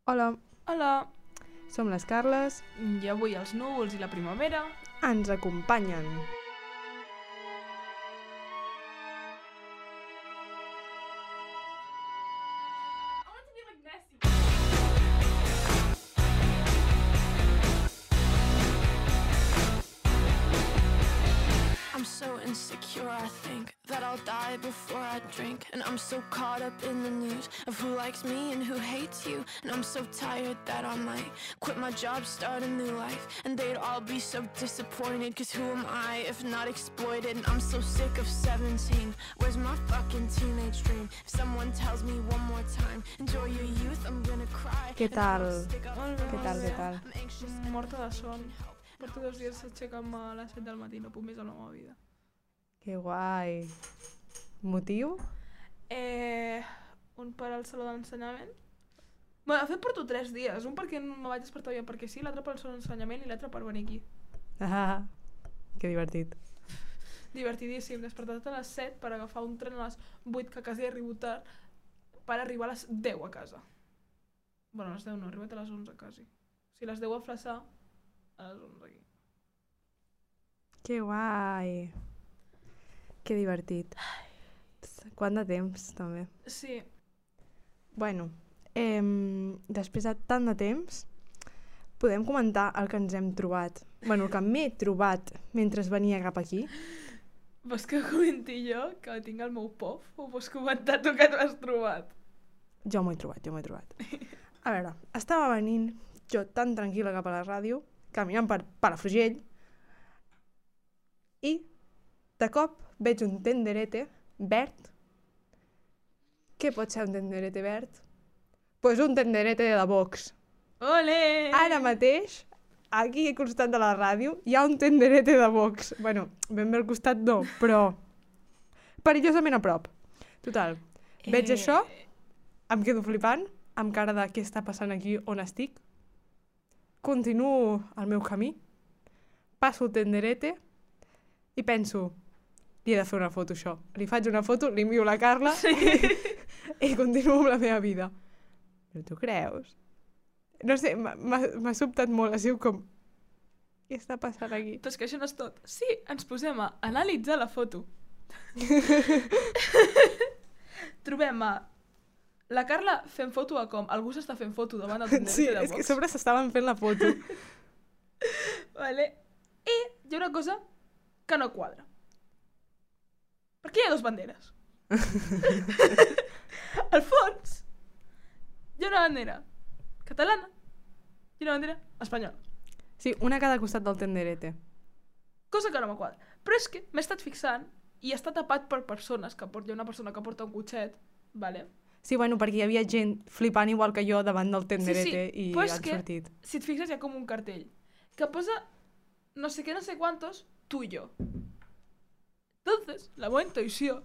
Hola, Hola, som les Carles, i avui els núvols i la primavera... ens acompanyen. I'm so insecure, I think that I'll die before I drink. And I'm so caught up in the news of who likes me and who hates you. And I'm so tired that I might quit my job, start a new life. And they'd all be so disappointed, cause who am I if not exploited? And I'm so sick of 17, where's my fucking teenage dream? If someone tells me one more time, enjoy your youth, I'm gonna cry. Què tal? Molt bé, Què tal, què tal? I'm anxious. Morta de son. Porto 2 dies aixecant-me a les 7 del matí, no puc més a la meva vida. Que guai. Motiu? Un per al saló d'ensenyament. Bé, de fet porto 3 dies. Un perquè no vaig despertar ja perquè sí, l'altre pel saló d'ensenyament i l'altre per venir aquí. Ah, que divertit. Divertidíssim. Despertat a les 7 per agafar un tren a les 8, que quasi arribo tard, per arribar a les 10 a casa. Bueno, a les 10 no, he arribat a les 11 quasi. O sigui, a les 10 a Flaçà, a les 11 aquí. Que guai. Que divertit. Quant de temps, també. Sí, Bueno, després de tant de temps, podem comentar el que ens hem trobat. Bueno, el que m'he trobat mentre venia cap aquí. vols que comenti jo, que tinc el meu POF, o vols comentar tu que t'ho has trobat? Jo m'ho he trobat. A veure, estava venint jo tan tranquil·la cap a la ràdio, caminant per Palafrugell, i de cop veig un tenderete verd. Què pot ser un tenderete verd? Pues un tenderete de la Vox. Ole! Ara mateix, aquí al costat de la ràdio, hi ha un tenderete de Vox. Bueno, ben bé al costat no, però perillosament a prop. Total, veig això, em quedo flipant, amb cara de què està passant aquí on estic. Continuo el meu camí, passo el tenderete i penso, li he de fer una foto això. Li faig una foto, li envio la Carla i continuo amb la meva vida. Però tu creus? No sé, m'ha sobtat molt, ha sigut com... Què està passant aquí? Però és que això no és tot. Sí, ens posem a analitzar la foto. Trobem la Carla fent foto a com algú s'està fent foto davant del tenderete Sí, de és que a Vox. sobre s'estaven fent la foto. Vale. I hi ha una cosa que no quadra. Perquè hi ha 2 banderes. Al fons hi ha una bandera catalana i una bandera espanyola. Sí, una a cada costat del tenderete. Cosa que no me quadra. Però és que m'he estat fixant i està tapat per persones, hi ha una persona que porta un cotxet, vale? Sí, bueno, perquè hi havia gent flipant igual que jo davant del tenderete i però és han que, sortit. si et fixes, hi ha com un cartell que posa no sé què, no sé quantos, tu i jo. Entonces, la meva intuïció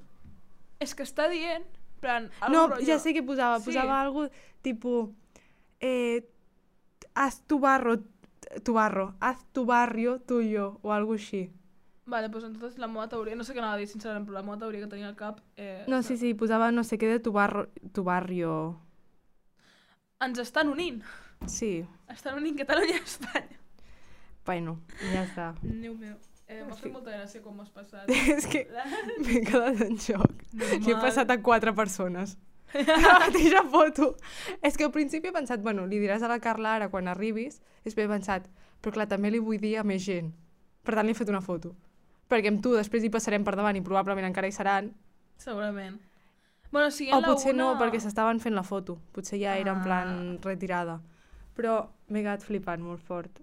és que està dient, plan, No, rotllo... ja sé què posava. Sí. Posava algo tipo... haz tu barrio, haz tu barrio tuyo, o algo així. Vale, doncs entonces la meva teoria, no sé què anava a dir sincerament, però la meva teoria que tenia al cap... No, sí, posava no sé què de tu barrio. Ens estan unint. Sí, Estan unint Catalunya i Espanya. bueno, ja està. Déu meu. M'ha Sí. fet molta gràcia com m'has passat. És que m'he quedat en xoc. Normal. He passat a 4 persones. La mateixa foto. És que al principi he pensat, bueno, li diràs a la Carla ara quan arribis, i després he pensat, però clar, també li vull dir a més gent. Per tant, li he fet una foto. Perquè amb tu després hi passarem per davant i probablement encara hi seran. Segurament. Bueno, si O potser no, perquè s'estaven fent la foto. Potser ja era en plan retirada. Però m'he quedat flipant molt fort.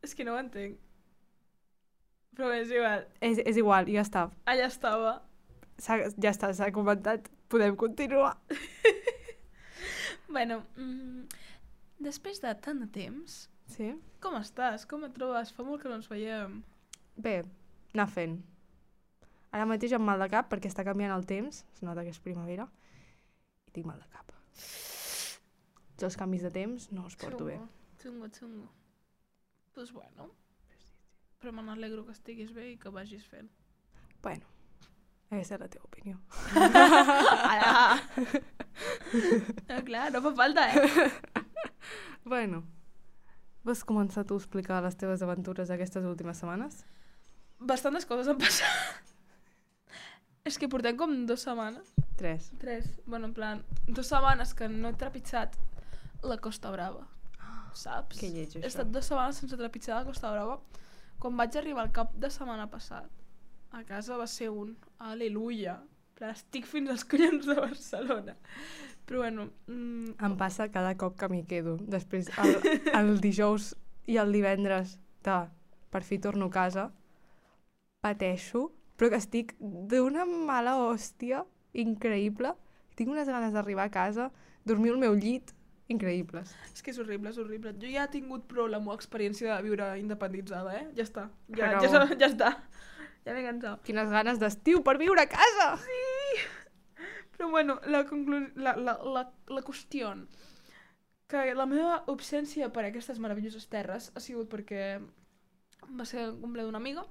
És que no ho entenc. Però és igual. És igual, ja està. Allà estava. Ja està, s'ha comentat. Podem continuar. Bueno, després de tant de temps, Sí? com estàs? Com et trobes? Fa molt que no ens veiem. Bé, anar fent. Ara mateix amb mal de cap perquè està canviant el temps, es nota que és primavera, i tinc mal de cap. Els canvis de temps no els porto bé. Xungo. Doncs bueno. Però me n'alegro que estiguis bé i que vagis fent. Bueno, aquesta és la teva opinió. Ara! Clar, no fa falta, Bueno, vols començar tu a explicar les teves aventures aquestes últimes setmanes? Bastantes coses han passat. És que portem com 2 setmanes. 3. 3. Bueno, en plan, 2 setmanes que no he trepitjat la Costa Brava. Saps? Que lleig, He això. estat 2 setmanes sense trepitjar la Costa Brava. Quan vaig arribar al cap de setmana passat, a casa va ser un aleluia. En plan, estic fins als collons de Barcelona. Però bueno... Em passa cada cop que m'hi quedo. Després, el dijous i el divendres de per fi torno a casa, pateixo, però que estic d'una mala hòstia increïble. Tinc unes ganes d'arribar a casa, dormir al meu llit, increïbles. És que és horrible, és horrible. Jo ja he tingut prou la meva experiència de viure independitzada, Ja està. Acabó. Ja està. Ja m'he cansat. Quines ganes d'estiu per viure a casa! Però bueno, la qüestió que la meva obsència per aquestes meravelloses terres ha sigut perquè va ser el cumple d'una amiga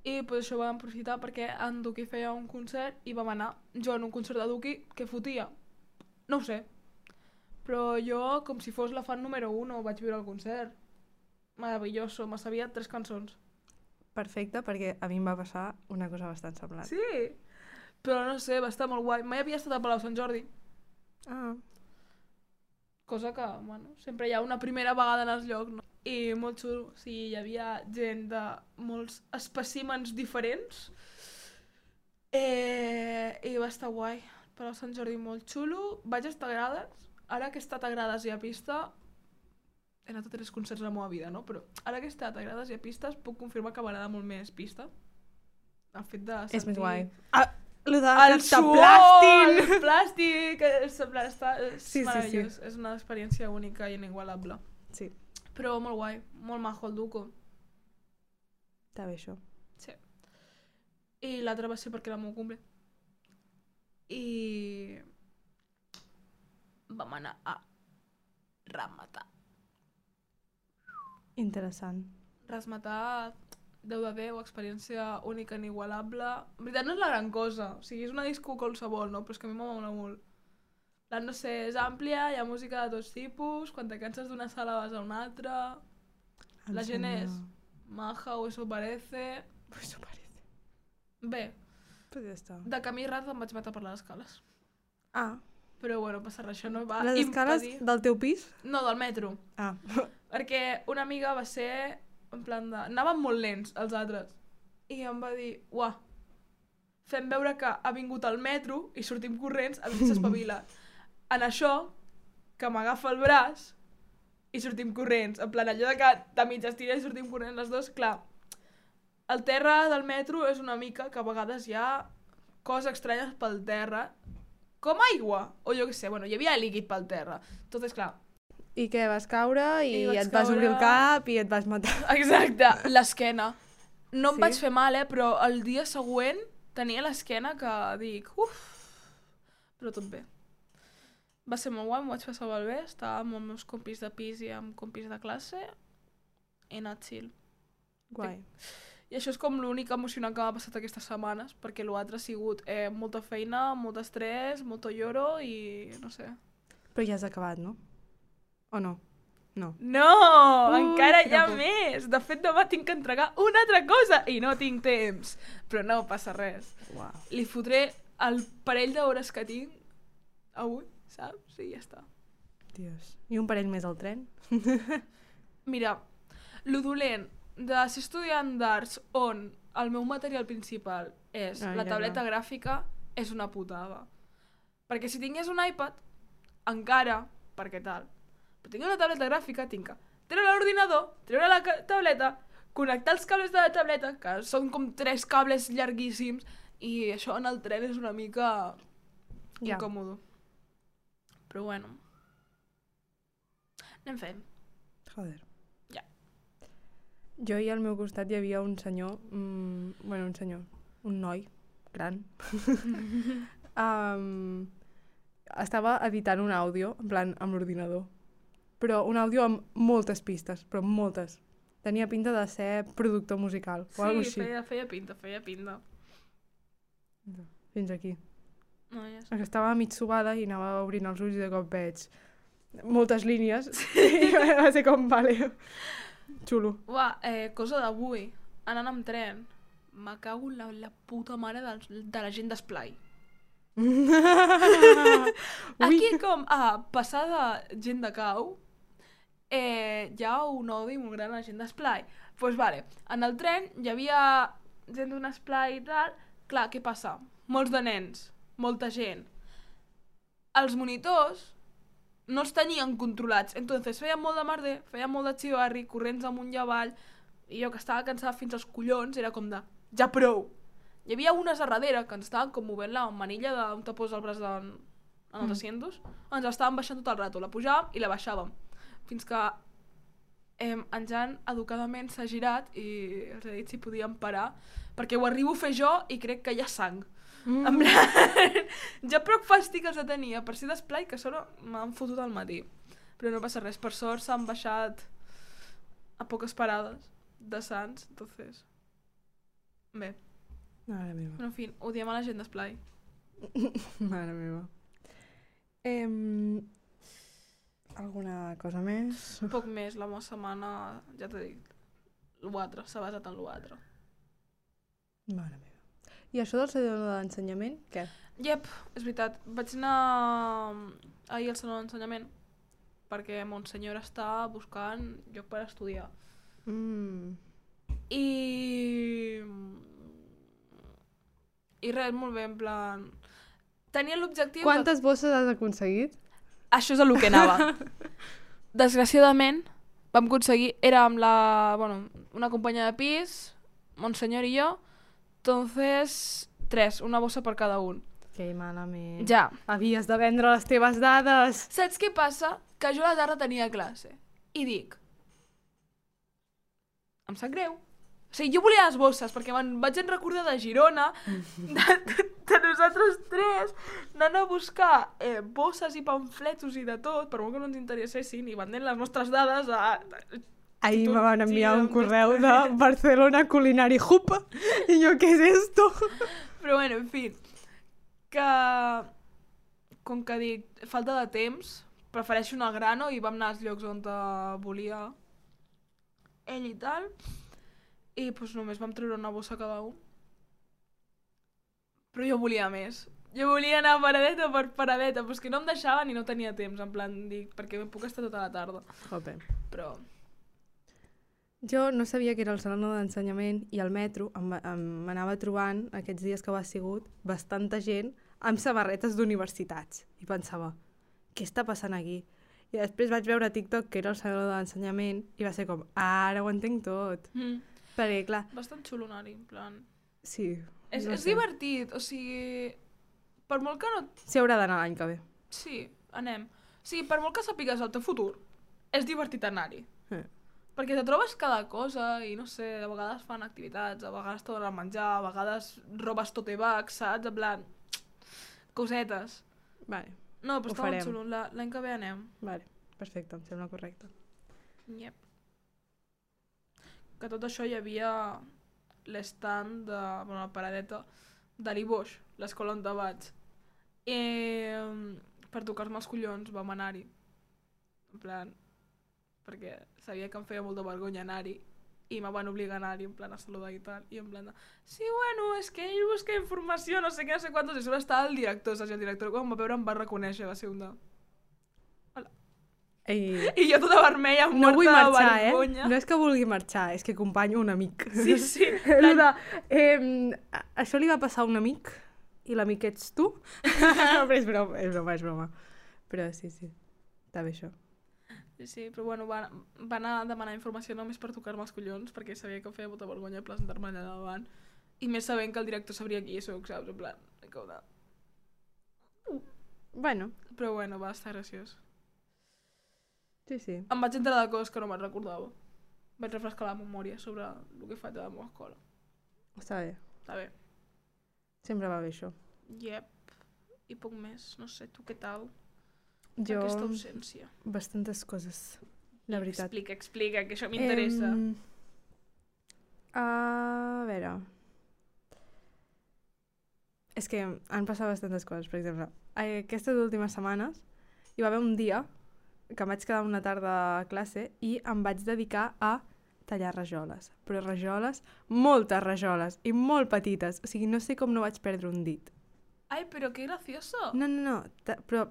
i pues, això vam aprofitar perquè en Duki feia un concert i vam anar jo en un concert de Duki que fotia. No ho sé. Però jo, com si fos la fan número 1, vaig viure el concert. Meravelloso, me sabia 3 cançons. Perfecte, perquè a mi em va passar una cosa bastant semblant. Sí, però no sé, va estar molt guai. Mai havia estat a Palau Sant Jordi. Ah. Cosa que, bueno, sempre hi ha una primera vegada en els llocs, no? I molt xulo, o sigui, hi havia gent de molts espècimens diferents i va estar guai. Palau Sant Jordi molt xulo, vaig estar a Grades, ara que he estat a Grades i a pista, he anat a 3 concerts a la meva vida, no? Però ara que he estat a Grades i a pistes puc confirmar que m'agrada molt més pista. El fet de sentir... És més guai. Lo de El que suor, t'aplastin! el plàstic, és Sí. meravellós. És una experiència única i inigualable. Sí, Però molt guai, molt majo el Duco. està bé això. Sí. I l'altre va ser perquè era el meu cumple. I vam anar a Rasmatar. Interessant. Rasmatar, 10 de 10, experiència única, inigualable. En veritat no és la gran cosa, o sigui, és una disco qualsevol, no? Però és que a mi m'amola molt. No sé, és àmplia, hi ha música de tots tipus, quan te canses d'una sala vas a una altra. La gent és maja o eso parece. Eso parece. Bé, Pues ja està. de camí ras em vaig matar per les escales. Ah, Però bueno, passa res, això no va les escales impedir... del teu pis? No, del metro. Ah. Perquè una amiga va ser en plan de... Anaven molt lents, els altres. I em va dir, uah, fem veure que ha vingut al metro i sortim corrents a veure si s'espavila. En això, que m'agafa el braç i sortim corrents. En plan, allò de que de mig estira i sortim corrents les dos, clar. El terra del metro és una mica que a vegades hi ha coses estranyes pel terra, com aigua, o jo què sé, bueno, hi havia líquid pel terra. Entonces, clar, I què, vas caure I i vaig et vas obrir el caure. cap i et vas matar. exacte, l'esquena. No em Sí? vaig fer mal, però el dia següent tenia l'esquena que dic, però tot bé. Va ser molt guai, m'ho vaig passar molt bé, estava amb els meus compis de pis i amb compis de classe, he anat chill. Guai. I això és com l'únic emocionant que m'ha passat aquestes setmanes, perquè l'altre ha sigut molta feina, molt estrès, molt lloro i no sé. Però ja has acabat, no? O no? No. No! Encara hi ha quina por. més! De fet, demà tinc que entregar una altra cosa i no tinc temps. Però no passa res. Uau. Li fotré el parell d'hores que tinc avui, saps? I ja està. Dios. I un parell més al tren? Mira, lo dolent de ser estudiant d'arts on el meu material principal és la ja, tauleta gràfica és una putada. Perquè si tingués un iPad, encara, perquè tal, però tinc una tauleta gràfica, tinc que treure l'ordinador, treure la tauleta, connectar els cables de la tauleta, que són com 3 cables llarguíssims, i això en el tren és una mica Ja. incòmodo. Però bueno. Anem fent. Joder. Ja. Jo i al meu costat hi havia un senyor, bueno, un senyor, un noi gran. Estava editant un àudio, en plan, amb l'ordinador. Però un àudio amb moltes pistes, però moltes. Tenia pinta de ser productor musical o alguna Sí, així. feia pinta. Fins aquí. No, ja sé. Perquè estava mig subada i anava obrint els ulls i de cop veig moltes línies. I va ser com, vale, xulo. Uah, cosa d'avui, anant amb tren, me cago en la puta mare de la gent d'esplai. Aquí com a passar de gent de cau, hi ha un odi molt gran a la gent d'esplai. Doncs vale, en el tren hi havia gent d'un esplai i tal. Clar, què passa? Molts de nens, molta gent. Els monitors no els tenien controlats, entonces feien molt de merder, feien molt de xivarri, corrents amunt i avall, i jo que estava cansada fins als collons era com de, ja prou. Hi havia unes a darrere que ens estaven com movent la manilla on te posa el braç en els asientos, ens estaven baixant tot el rato, la pujàvem i la baixàvem, fins que en Jan educadament s'ha girat i els ha dit si podíem parar, perquè ho arribo a fer jo i crec que hi ha sang. En plan, ja prou fàstic els tenia per ser d'esplai que a sobre m'han fotut al matí, però no passa res, per sort s'han baixat a poques parades de Sants, entonces bé. Mare meva. Però en fi, odiem a la gent d'esplai. Mare meva. Alguna cosa més? Poc més, la meva setmana, ja t'he dit, l'altre, s'ha basat en l'altre. Mare meva. I això del saló d'ensenyament, què? Yep, és veritat. Vaig anar ahir al saló d'ensenyament perquè mon senyor està buscant lloc per estudiar. I res, molt bé, en plan... Tenia l'objectiu... Quantes bosses has aconseguit? Això és el que anava. Desgraciadament, vam aconseguir... Era amb una companya de pis, mon senyor i jo, entonces 3, una bossa per cada un. Que malament. Ja. Havies de vendre les teves dades. Saps què passa? Que jo a la tarda tenia classe. I dic... Em sap greu. O sigui, jo volia les bosses, perquè me'n vaig recordar de Girona, de nosaltres 3, anant a buscar bosses i pamfletos i de tot, per molt que no ens interessessin, i vendent les nostres dades a... Ahir me van enviar un correu de Barcelona Culinary Hub i jo, què és esto? Però bueno, en fi, que com que dic, falta de temps, prefereixo anar al grano i vam anar als llocs on volia ell i tal, i doncs només vam treure una bossa cada un. Però jo volia més. Jo volia anar paradeta per paradeta, però és que no em deixaven i no tenia temps, en plan, dic, perquè puc estar tota la tarda. Jope. Però... Jo no sabia que era el saló d'ensenyament i al metro m'anava trobant, aquests dies que ho ha sigut, bastanta gent amb samarretes d'universitats. I pensava, què està passant aquí? I després vaig veure a TikTok que era el saló d'ensenyament i va ser com, ara ho entenc tot. Perquè, clar... Bastant xulo anar-hi, en plan... Sí. És divertit, o sigui... Per molt que no... S'hi haurà d'anar l'any que ve. Sí, anem. O sigui, per molt que sàpigues el teu futur, és divertit anar-hi. Perquè te trobes cada cosa i no sé, a vegades fan activitats, a vegades te donen menjar, a vegades robes tote bags, saps? En plan, cosetes. Vale. No, però està molt xulo, l'any que ve anem. Vale, perfecte, em sembla correcte. Yep. Que tot això hi havia l'estand de, la paradeta de l'Iboix, l'escola on vaig. I per tocar-me els collons vam anar-hi. En plan, perquè sabia que em feia molta vergonya anar-hi i me van obligar a anar-hi, en plan, a saludar i tal, i en plan de, sí, bueno, és que ell busca informació, no sé què, no sé quantos, i sobre estava el director, saps? I el director quan em va veure em va reconèixer, va ser un de... Hola. I jo tota vermella, no vull morta marxar, de vergonya. No és que vulgui marxar, és que acompanyo un amic. Sí. Això li va passar a un amic i l'amic ets tu? Però és broma. Però sí, està bé això. Sí, però bueno, va anar a demanar informació només per tocar-me els collons, perquè sabia que em feia molta vergonya presentar-me allà davant. I més sabent que el director sabria qui soc, saps? En plan, com de... Bueno. Però bueno, va estar graciós. Sí. Em vaig entrar de coses que no me'n recordava. Vaig refrescar la memòria sobre el que faig a la meva escola. Està bé. Està bé. Sempre va bé això. Yep. I poc més. No sé, tu què tal? Jo... Aquesta ausència. Bastantes coses, la veritat. Explica, que això m'interessa. A veure... és que han passat bastantes coses, per exemple. Aquestes últimes setmanes hi va haver un dia que em vaig quedar una tarda a classe i em vaig dedicar a tallar rajoles. Però rajoles, moltes rajoles, i molt petites. O sigui, no sé com no vaig perdre un dit. Ai, però que gracioso. No, però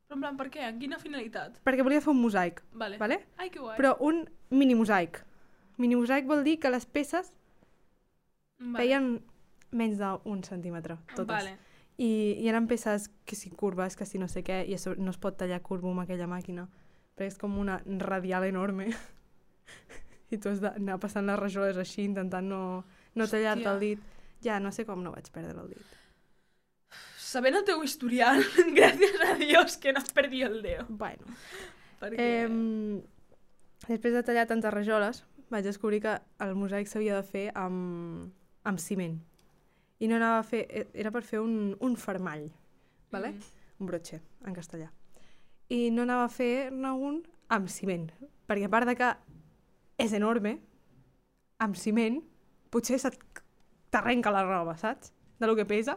Però en plan, per què? En quina finalitat? perquè volia fer un mosaic, Vale. vale? Ai, que guai. Però un mini mosaic. Mini mosaic vol dir que les peces feien menys d'un centímetre, totes. Vale. I eren peces que si curves, que si no sé què, i això no es pot tallar curvo amb aquella màquina, perquè és com una radial enorme. I tu has d'anar passant les rajoles així, intentant no tallar-te el dit. Ja, no sé com no vaig perdre el dit. Sabent el teu historial, gràcies a Dios que no has perdit el dedo. Bueno. Perquè... Després de tallar tantes rajoles, vaig descobrir que el mosaic s'havia de fer amb ciment. I no anava a fer... Era per fer un fermall, vale? Un broche, en castellà. I no anava a fer-ne un amb ciment, perquè a part de que és enorme, amb ciment, potser t'arrenca la roba, saps? De lo que pesa.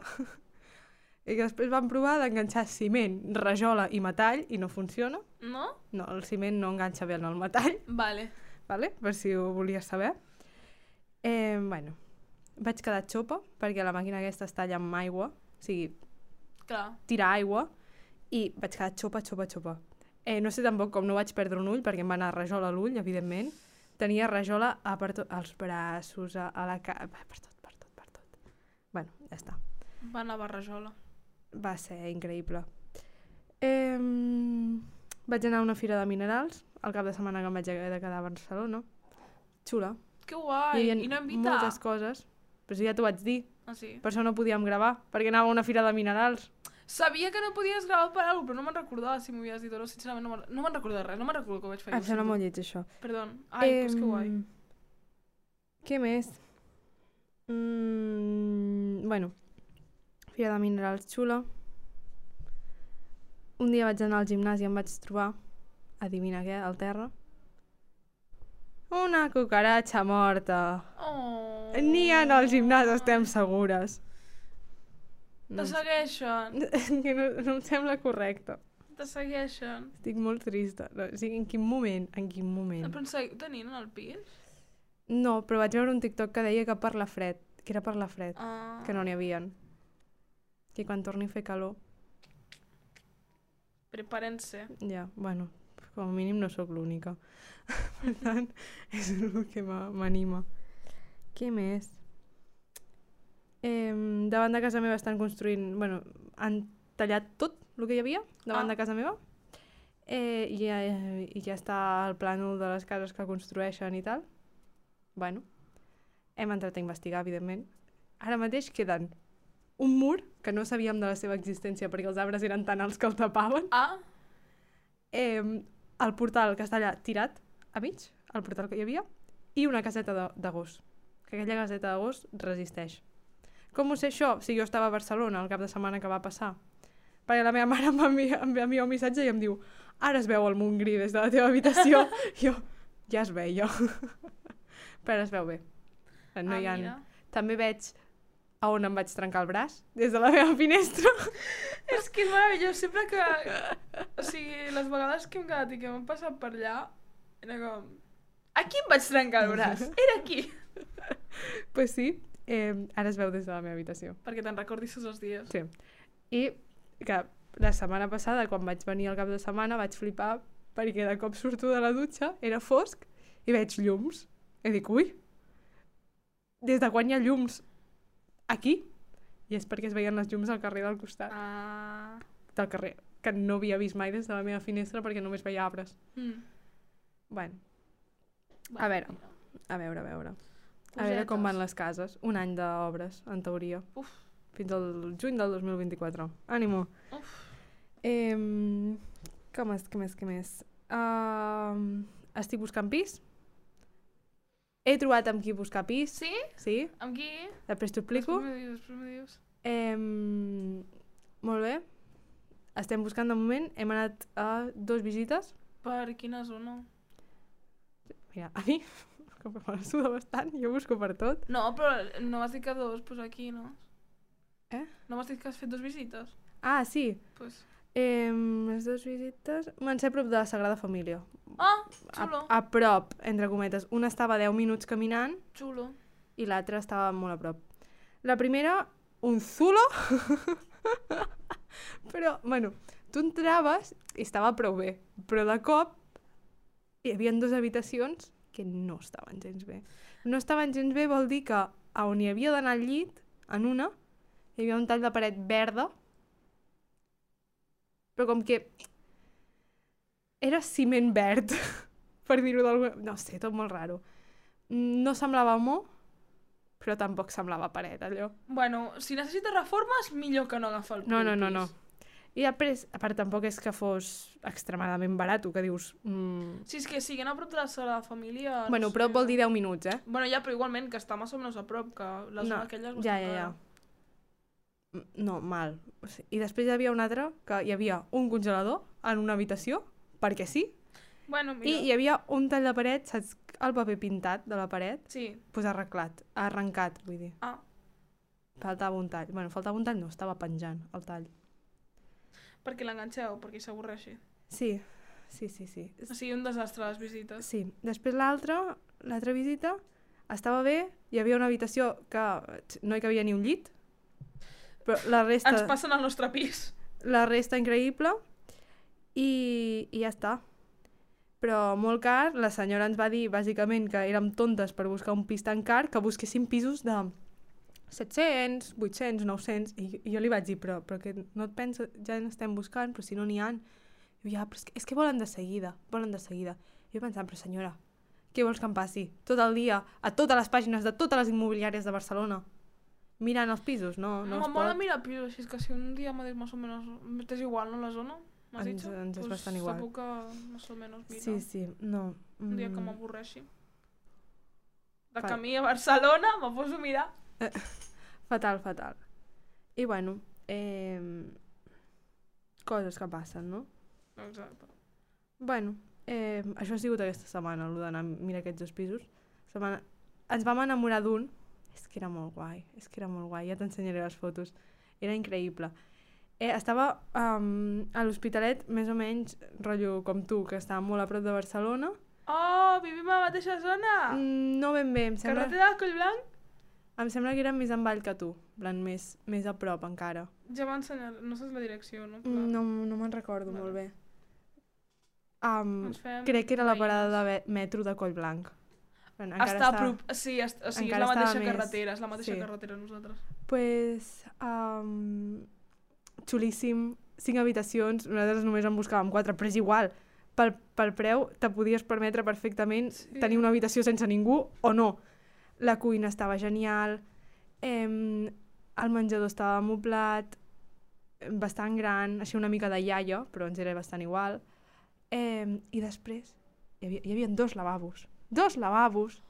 I que després vam provar d'enganxar ciment, rajola i metall i no funciona. No? No, el ciment no enganxa bé en el metall, Vale. vale? Per si ho volies saber. Bueno, vaig quedar xopa, perquè la màquina aquesta es talla amb aigua, o sigui, Clar. tira aigua, i vaig quedar xopa. No sé tampoc com no vaig perdre un ull, perquè em va anar rajola a l'ull, evidentment. Tenia rajola als braços, a la cara, per tot. Bueno, ja està. Va anar a Barrajola. Va ser increïble. Vaig anar a una fira de minerals, el cap de setmana que em vaig haver de quedar a Barcelona. Xula. Que guai. I no invitar? moltes coses. Però si ja t'ho vaig dir. Ah, sí? Per això no podíem gravar, perquè anava a una fira de minerals. Sabia que no podies gravar per alguna cosa, però no me'n recordava si m'ho havies dit o no. Sincerament, no me'n recordo de res. No me'n recordo que ho vaig fer. Em sembla molt lleig, això. Perdó. Ai, doncs que guai. Què més? Bueno, fira de minerals xula. Un dia vaig anar al gimnàs i em vaig trobar, adivina què, al terra, una cucaratxa morta. Oh. N'hi ha al gimnàs, estem segures. Te segueixen. Que no em sembla correcte. Te segueixen. Estic molt trista. No, o sigui, en quin moment? Però ens tenien en el pis? No, però vaig veure un TikTok que deia que per la fred, que era per la fred, que no n'hi havien. Que quan torni a fer calor... Preparen-se. Ja, bueno, com a mínim no sóc l'única. Per tant, és el que m'anima. Què més? Davant de casa meva estan construint... Bueno, han tallat tot el que hi havia davant de casa meva. I ja està el plànol de les cases que construeixen i tal. Bueno, hem entrat a investigar, evidentment. Ara mateix queden un mur que no sabíem de la seva existència perquè els arbres eren tan alts que el tapaven. El portal que està allà tirat a mig, el portal que hi havia, i una caseta de gos. Que aquella caseta de gos resisteix. Com ho sé això? Si jo estava a Barcelona el cap de setmana que va passar. Perquè la meva mare em va enviar un missatge i em diu: ara es veu el Montgrí des de la teva habitació. Jo, ja es veia. Però es veu bé. No hi ha... També veig a on em vaig trencar el braç, des de la meva finestra. És que és meravellós, sempre que... O sigui, les vegades que hem quedat i que m'han passat per allà, era com... Aquí em vaig trencar el braç, era aquí. Pues sí, ara es veu des de la meva habitació. Perquè te'n recordis tots els dies. Sí. I que la setmana passada, quan vaig venir al cap de setmana, vaig flipar perquè de cop surto de la dutxa, era fosc, i veig llums. I dic, ui, des de quan hi ha llums aquí? I és perquè es veien les llums al carrer del costat. Del carrer, que no havia vist mai des de la meva finestra perquè només veia arbres. Bueno, a veure. A veure com van les cases. Un any d'obres, en teoria. Fins al juny del 2024. Ànimo. Què més? Estic buscant pis. He trobat amb qui buscar pis. Sí? Sí. Amb qui? Després t'ho explico. Després m'ho dius. Molt bé. Estem buscant de moment. Hem anat a 2 visites. Per quina zona? Mira, a mi, com que me la suda bastant, jo busco per tot. No, però no vas dir que 2, doncs aquí, no? No m'has dit que has fet 2 visites? Ah, sí. Pues... Les 2 visites van ser a prop de la Sagrada Família. Ah, xulo. A prop, entre cometes. Una estava a 10 minuts caminant Xulo. i l'altra estava molt a prop. La primera, un zulo, però, bueno, tu entraves i estava prou bé, però de cop hi havia 2 habitacions que no estaven gens bé. No estaven gens bé vol dir que a on hi havia d'anar al llit, en una, hi havia un tall de paret verda, però com que era ciment verd, per dir-ho d'alguna... No sé, tot molt raro. No semblava mo, però tampoc semblava paret, allò. Bueno, si necessites reformes, millor que no agafar el No. pis. I després, a part, tampoc és que fos extremadament barat, que dius... Si és que siguin a prop de la Sagrada Família... Bueno, no sé. prop vol dir 10 minuts, eh? Bueno, ja, però igualment, que està més o menys a prop, que la zona aquella és bastant cara. No, mal. I després hi havia un altre, que hi havia un congelador en una habitació, perquè sí, Bueno, i mira. hi havia un tall de paret, saps el paper pintat de la paret? Sí. Pues arrencat, vull dir. Ah. Faltava un tall. Bueno, faltava un tall, no, estava penjant el tall. Perquè l'enganxeu, perquè s'avorreixi. Sí. O sigui, un desastre les visites. Sí. Després l'altra visita, estava bé, hi havia una habitació que no hi cabia ni un llit, però la resta... Ens passen al nostre pis. La resta increïble i ja està. Però molt car, la senyora ens va dir bàsicament que érem tontes per buscar un pis tan car, que busquéssim pisos de 700, 800, 900, i jo li vaig dir, però que no et penses, ja n'estem buscant, però si no n'hi ha. I diu, ja, però és que volen de seguida. I jo pensant, però senyora, què vols que em passi? Tot el dia, a totes les pàgines de totes les immobiliàries de Barcelona, mirant els pisos, no es Mola pot. mirar pisos, així és que si un dia m'ha dit més o menys... T'és igual, no, la zona? M'has dit? Ens és bastant igual. Segur que més o menys mira. Sí, no. Un dia que m'avorreixi. De Fa- camí a Barcelona, me poso a mirar. Fatal. I bueno, coses que passen, no? Exacte. Bueno, això ha sigut aquesta setmana, el d'anar a mirar aquests 2 pisos. Ens vam enamorar d'un, és que era molt guai, ja t'ensenyaré les fotos, era increïble. Estava a l'Hospitalet, més o menys, rotllo com tu, que estava molt a prop de Barcelona. Oh, vivim a la mateixa zona! No ben bé, em sembla Carretera del Collblanc? que era més en vall que tu, en plan, més a prop encara. Ja m'ha ensenyat, no saps la direcció, no? No me'n recordo molt bé. Ens fem Crec que era la veïnes. parada de metro de Collblanc. Està a prop, sí, o sigui, és encara la mateixa estava més- carretera, és la mateixa sí. carretera nosaltres. Pues, xulíssim, 5 habitacions, nosaltres només en buscàvem 4, però és igual, pel preu te podies permetre perfectament tenir una habitació sense ningú o no. La cuina estava genial, el menjador estava amoblat, bastant gran, així una mica de iaia, però ens era bastant igual. I després hi havia 2 lavabos. 2 lavabos,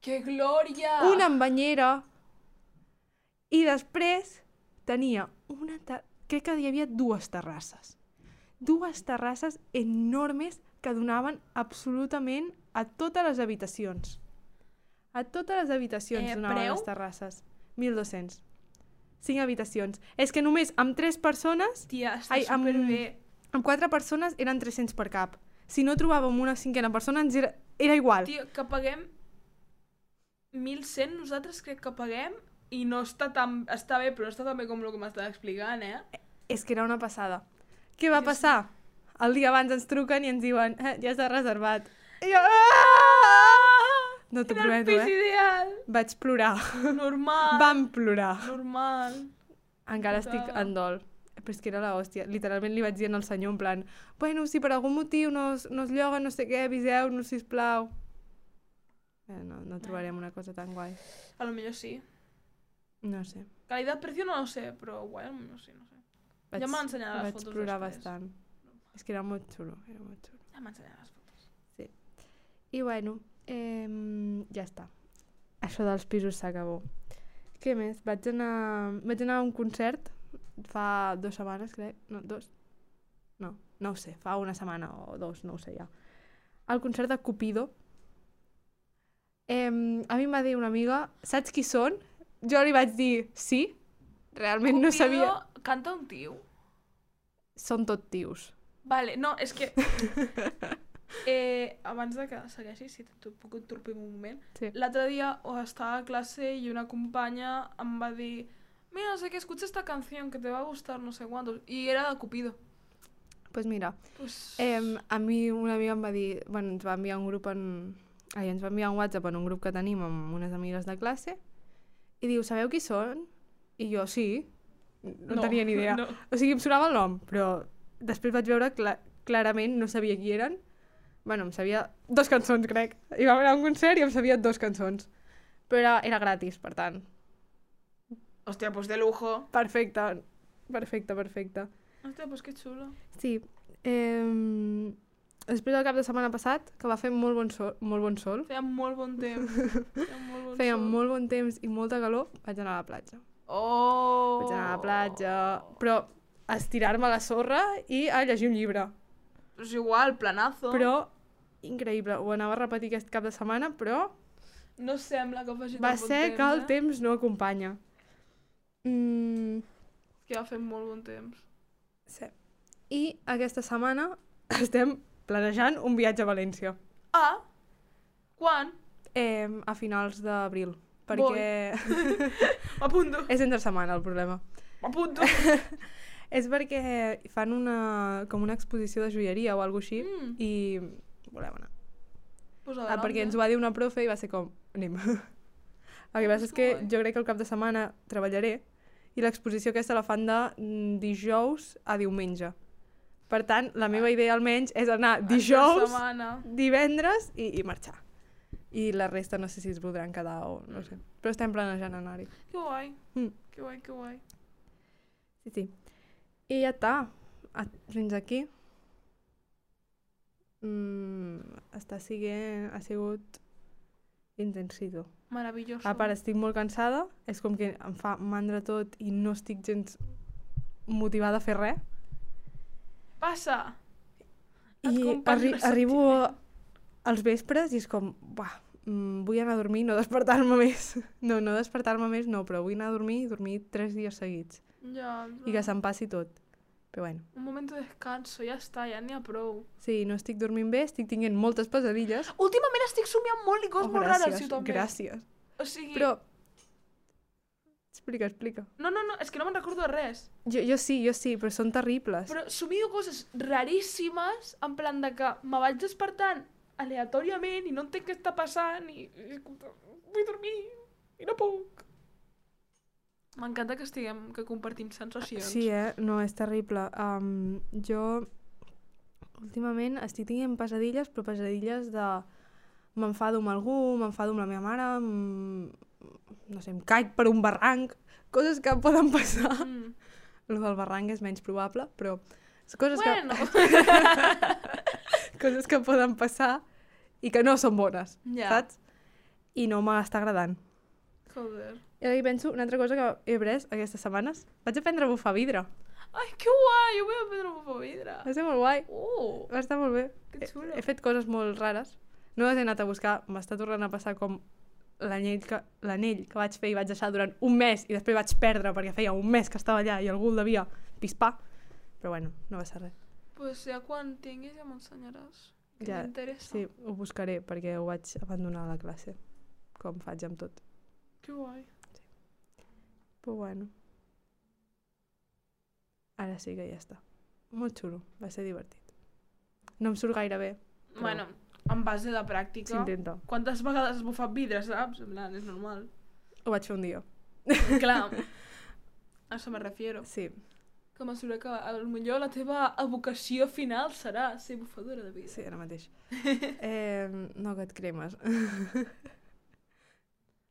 Que glòria! una amb banyera, i després tenia crec que hi havia 2 terrasses. 2 terrasses enormes que donaven absolutament a totes les habitacions. A totes les habitacions donaven preu? les terrasses. 1.200. 5 habitacions. És que només amb 3 persones, Tia, està superbé. amb 4 persones eren 300 per cap. Si no trobàvem una 5a persona, era igual. Tia, que paguem 1.100, nosaltres crec que paguem, i no està tan... Està bé, però no està tan bé com el que m'estàs explicant, eh? És que era una passada. Què va passar? El dia abans ens truquen i ens diuen ja està reservat. I jo... No t'ho Era el prometo, pis ideal! Vaig plorar. Normal. Vam plorar. Normal. Encara estic en dol. Però és que era l'hòstia. Literalment li vaig dir al senyor en plan bueno, si per algun motiu no es lloga no sé què, aviseu-nos, sisplau. No trobarem una cosa tan guai. A lo millor sí. No sé. Calidad-precio no lo sé, però guai, a lo millor sí, no sé. Ja m'han ensenyat les fotos Vaig plorar després. bastant. És que era molt xulo, Ja m'han ensenyat les fotos. I bueno, ja està. Això dels pisos s'acabó. Què més? Vaig anar a un concert fa 2 setmanes, crec. No, 2? No ho sé, fa una setmana o 2, no ho sé ja. Al concert de Cupido. A mi em va dir una amiga, saps qui són? Jo li vaig dir sí, realment no sabia... Canta un tio. Són tot tios. Vale, no, és que... abans de que segueixis, si t'ho puc interrompir un moment, Sí. l'altre dia estava a clase i una companya em va dir mira, no sé què, escucha esta canción que te va a gustar, no sé cuántos, i era de Cupido. Pues mira, Pues... a mi una amiga em va dir... Bueno, ens va enviar un grup en... ens va enviar un WhatsApp en un grup que tenim amb unes amigues de classe i diu, sabeu qui són? I jo, sí. No tenia ni idea. No. O sigui, em sonava el nom, però després vaig veure clarament, no sabia qui eren. Bueno, em sabia 2 cançons, crec. I vam anar a un concert i em sabia 2 cançons. Però era gratis, per tant. Hòstia, pues de lujo. Perfecte. Perfecte. Hòstia, pues que xulo. Sí. Després del cap de setmana passat, que va fer molt bon sol, Feia molt bon temps. feia molt bon temps i molta calor, vaig anar a la platja. Oh! Vaig anar a la platja, però a estirar-me a la sorra i a llegir un llibre. Pues igual, planazo. Però, increïble, ho anava a repetir aquest cap de setmana, però No sembla que faci va tant bon ser temps, que el temps no acompanya. Que va fer molt bon temps. Sí. I aquesta setmana estem planejant un viatge a València. Ah! Quan? A finals d'abril. Perquè M'apunto. és entre setmana el problema. M'apunto. És perquè fan com una exposició de joieria o alguna així i volem anar. Pues Perquè ens ho va dir una profe i va ser com, anem. El que passa és que jo crec que el cap de setmana treballaré i l'exposició aquesta la fan de dijous a diumenge. Per tant, la meva idea almenys és anar dijous, divendres i marxar. I la resta no sé si es voldran quedar o no sé. Però estem planejant anar-hi. Que guai. Que guai, que guai. Sí. I ja està. Fins aquí. Ha sigut intensito. Maravilloso. A part, estic molt cansada, és com que em fa mandra tot i no estic gens motivada a fer res. Passa! I arribo als vespres i és com, vull anar a dormir, no despertar-me més. No despertar-me més no, però vull anar a dormir i dormir 3 dies seguits. Ja. I que se'm passi tot. Però bueno. Un moment de descanso, ja està, ja n'hi ha prou. Sí, no estic dormint bé, estic tinguent moltes pesadilles. Últimament estic somiant molt i coses molt rares, també. Gràcies. O sigui... Però... Explica. No, és que no me'n recordo de res. Jo sí, però són terribles. Però somio coses raríssimes, en plan de que me vaig despertant aleatòriament i no entenc què està passant i vull dormir i no puc. M'encanta que compartim sensacions. Sí, no, és terrible. Jo últimament estic tenint pesadilles, però pesadilles de... M'enfado amb algú, m'enfado amb la meva mare, no sé, em caic per un barranc, coses que poden passar. Lo del barranc és menys probable, però... Coses coses que poden passar i que no són bones, saps? I no m'està agradant. Joder. I ara hi penso, una altra cosa que he après aquestes setmanes, vaig aprendre a bufar vidre. Ai, que guai! Jo vull aprendre a bufar vidre. Va ser molt guai. Va estar molt bé. Que xulo. He fet coses molt rares. No les he anat a buscar, m'està tornant a passar com l'anell que vaig fer i vaig deixar durant un mes i després vaig perdre perquè feia un mes que estava allà i algú el devia pispar. Però bueno, no va ser res. Pues ja quan tinguis ja m'ensenyaràs. Que Ja, m'interessa. sí, ho buscaré perquè ho vaig abandonar a la classe, com faig amb tot. Que guai. Però bueno. Ara sí que ja està. Molt xulo, va ser divertit. No em surt gaire bé. Però... Bueno, en base de pràctica. S'intenta. Quantes vegades has bufat vidre, saps? En plan, és normal. Ho vaig fer un dia. Clar. A això me refiero. Sí. Que mesura que potser la teva vocació final serà ser bufadora de vidre. Sí, ara mateix. No que et cremes.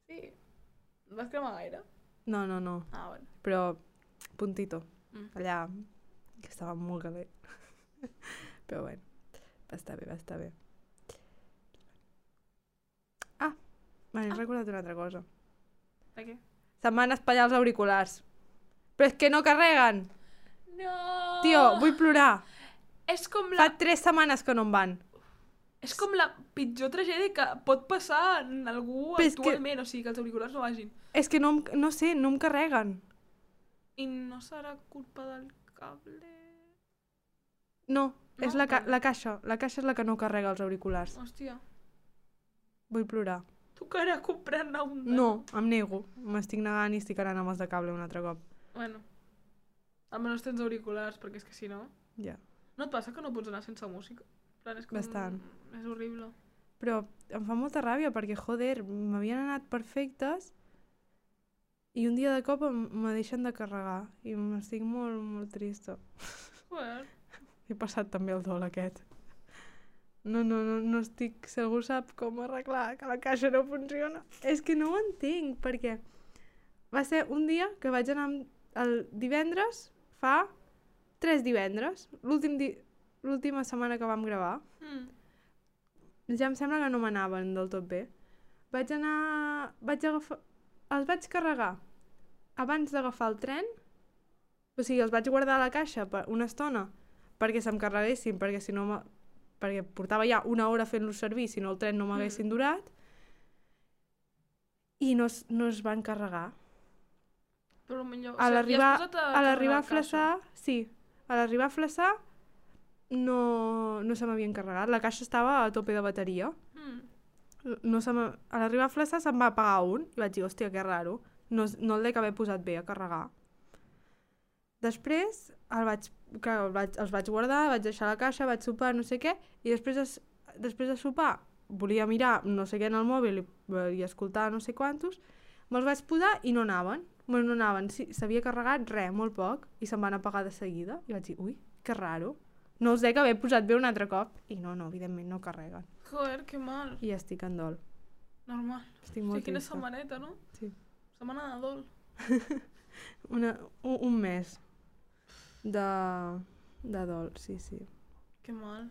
Sí. Et vas cremar gaire? No. Ah, bueno. Però puntito. Allà, que estava molt calent. Però bueno, va estar bé. M'he recordat una altra cosa. De què? Se'm van espatllar els auriculars. Però és que no carreguen! No! Tio, vull plorar. És com la... Fa 3 setmanes que no em van. És com la pitjor tragèdia que pot passar en algú Però és actualment, o sigui, que els auriculars no vagin. És que no sé, no em carreguen. I no serà culpa del cable? No, No? és la Vale. caixa. La caixa és la que no carrega els auriculars. Hòstia, Vull plorar. tocarà comprar-ne un de... No, em nego. M'estic negant i estic anant amb els de cable un altre cop. Bueno, almenys tens auriculars, perquè és que si no... Ja. No et passa que no pots anar sense música? En plan, és com... Bastant. És horrible. Però em fa molta ràbia perquè, joder, m'havien anat perfectes i un dia de cop me deixen de carregar i m'estic molt, molt trista. Joder. He passat també el dol aquest. No estic... Si algú sap com arreglar que la caixa no funciona. És que no ho entenc, perquè va ser un dia que vaig anar el divendres, fa 3 divendres, l'última setmana que vam gravar. Ja em sembla que no m'anaven del tot bé. Vaig agafar... Els vaig carregar abans d'agafar el tren, o sigui, els vaig guardar a la caixa per una estona perquè se'm carreguessin, perquè si no... perquè portava ja una hora fent-los servir, si no el tren no m'haguessin durat, i no es van carregar. Però millor... A l'arribar a caixa. Flaçà, sí, a l'arribar a Flaçà no se m'havien carregat, la caixa estava a tope de bateria. A l'arribar a Flaçà se'm va apagar un i vaig dir, hòstia, que raro, no el dec haver posat bé a carregar. Després els vaig guardar, vaig deixar la caixa, vaig sopar, no sé què, i després de sopar volia mirar no sé què en el mòbil i escoltar no sé quantos, me'ls vaig posar i no anaven. Bueno, no anaven, s'havia carregat res, molt poc, i se'm van apagar de seguida. I vaig dir, ui, que raro. No els dec haver posat bé un altre cop. I no, evidentment no carreguen. Joder, que mal. I estic en dol. Normal. Estic molt Quina trista. setmaneta, no? Sí. Setmana de dol. Un mes de dol, sí. Que mal.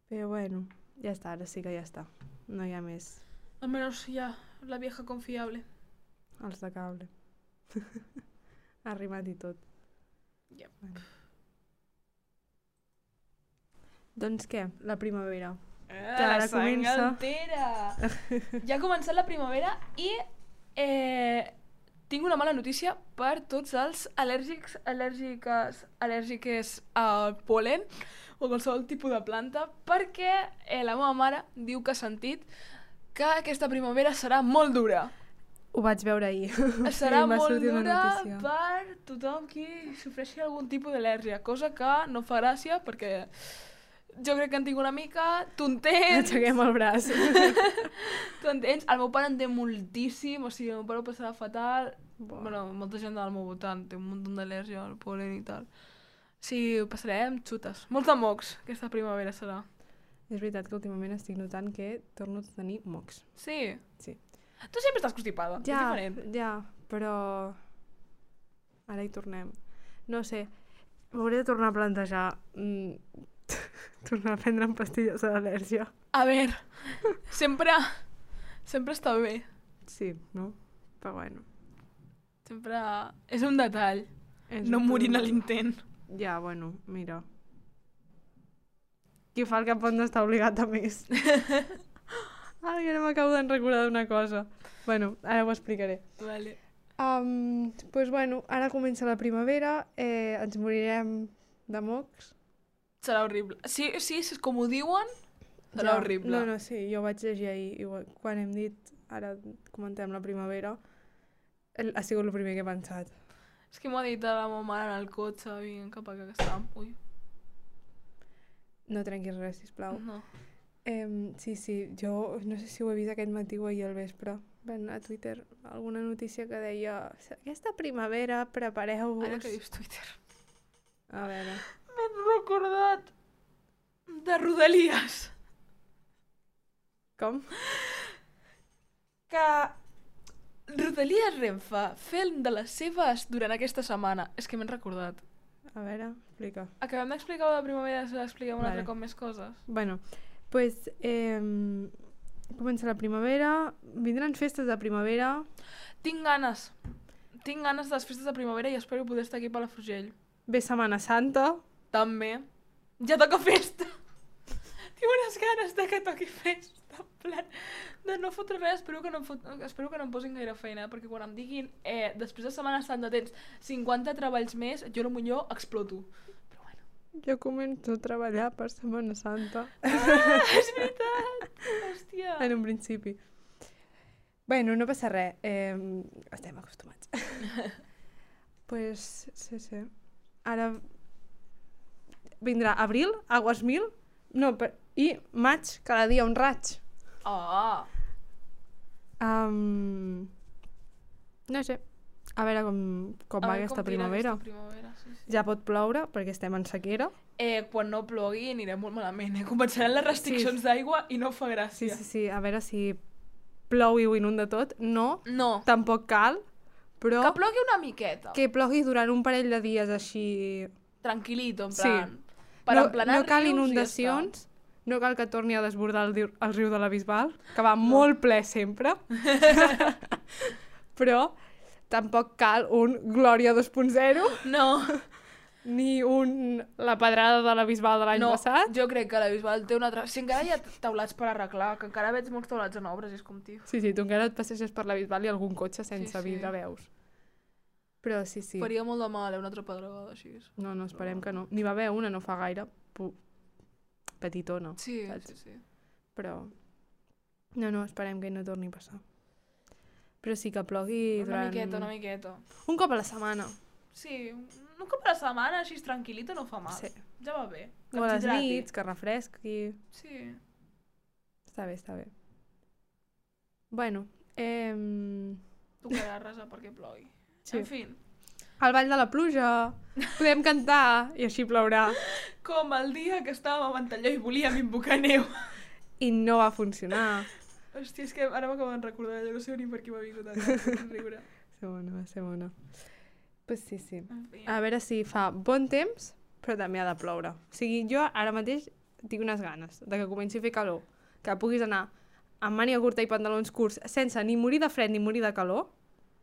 Però bueno, ja està, ara sí que ja està. No hi ha més. Almenys ja, la vieja confiable. Els de cable. Ha rimat i tot. Yep. Bueno. Doncs què? La primavera. Que ara comença. Ja ha començat la primavera i tinc una mala notícia per tots els al·lèrgiques al pol·len o qualsevol tipus de planta, perquè la meva mare diu que ha sentit que aquesta primavera serà molt dura. Ho vaig veure ahir. Serà Sí, va molt sortir una dura notícia. per tothom qui sofreixi algun tipus d'al·lèrgia, cosa que no fa gràcia perquè jo crec que en tinc una mica, tu entens. Aixequem el braç. Tu entens? El meu pare en té moltíssim, o sigui, el meu pare ho passarà fatal. Buah. Bueno, molta gent del meu voltant té un munt d'al·lèrgia al pol·len i tal. Sí, ho passarem xutes. Molts de mocs, aquesta primavera serà. És veritat que últimament estic notant que torno a tenir mocs. Sí? Sí. Tu sempre estàs constipada, és diferent. Ja, però ara hi tornem. No sé, m'hauré de tornar a plantejar tornar a prendre'm pastilles de l'al·lèrgia. A veure, sempre està bé. Sí, no? Però bueno. Sempre és un detall, És no un morint a problema. l'intent. Ja, bueno, mira. Qui fa el que pot no està obligat a més. Ai, ara m'acabo de recordar d'una cosa. Bueno, ara ho explicaré. Vale. Pues bueno, ara comença la primavera, ens morirem de mocs. Serà horrible. Sí, és com ho diuen, serà horrible. No, sí, jo vaig llegir ahir, igual, quan hem dit, ara comentem la primavera, ha sigut el primer que he pensat. És que m'ho ha dit la meva mare en el cotxe, vinc cap a casa. Ui, No trenquis res, sisplau. no. Sí, jo no sé si ho he vist aquest matí o ahir al vespre. Van a Twitter alguna notícia que deia aquesta primavera prepareu-vos. Ara que dius Twitter. A veure. M'he recordat de Rodalies. Com? Que Rodalies Renfe film de les seves durant aquesta setmana. És que m'he recordat. A veure, explica. Acabem d'explicar la primavera, s'ha d'explicar un altre Vale. cop més coses. Bueno, pues comença la primavera, vindran festes de primavera. Tinc ganes de les festes de primavera i espero poder estar aquí a Palafrugell. Ve Setmana Santa. També. Ja toca festa. Tinc unes ganes de que toqui festa. En plan, de no fotre res, espero que no em posin gaire feina, perquè quan em diguin després de Setmana Santa tens 50 treballs més, jo potser exploto. Però bueno. Jo començo a treballar per Setmana Santa. És veritat! Hòstia! En un principi. Bueno, no passa res. Estem acostumats. Pues, sí. Ara vindrà abril, agost 1000, i maig, cada dia un raig. Oh! No sé, a veure com va aquesta primavera. Sí. Ja pot ploure, perquè estem en sequera. Quan no plogui anirem molt malament, Començaran les restriccions d'aigua i no fa gràcia. Sí, a veure si plou i ho inunda tot. No, tampoc cal, però... Que plogui una miqueta. Que plogui durant un parell de dies així... Tranquil·lito, en plan... Sí. Per emplenar no cal rius inundacions, no cal que torni a desbordar el riu de la Bisbal, que va molt ple sempre, però tampoc cal un Glòria 2.0, No, ni la pedrada de la Bisbal de l'any passat. jo crec que la Bisbal té una altra... Si encara hi ha taulats per arreglar, que encara veig molts taulats en obres, és com, tio. Sí, tu encara et passeges per la Bisbal i algun cotxe sense vidre veus. Però sí. Faria molt de mal, una altra pedregada així. No, esperem que no. N'hi va haver una, no fa gaire, petitona. Sí. Però no, esperem que no torni a passar. Però sí que plogui durant... Una miqueta. Un cop a la setmana. Sí, un cop a la setmana, així tranquil·lita, no fa mal. Sí. Ja va bé. O a les nits, que refresqui. Sí. Està bé. Bueno, Tocarà resar perquè plogui. Sí. En fi. Al ball de la pluja, podem cantar i així plourà. Com el dia que estàvem a Ventalló i volíem invocar neu. I no va funcionar. Hòstia, és que ara m'acabo de recordar, no sé ni per què m'ha vingut a riure. Va ser bona. Pues sí. En fi. A veure si fa bon temps, però també ha de ploure. O sigui, jo ara mateix tinc unes ganes de que comenci a fer calor, que puguis anar amb màniga curta i pantalons curts sense ni morir de fred ni morir de calor,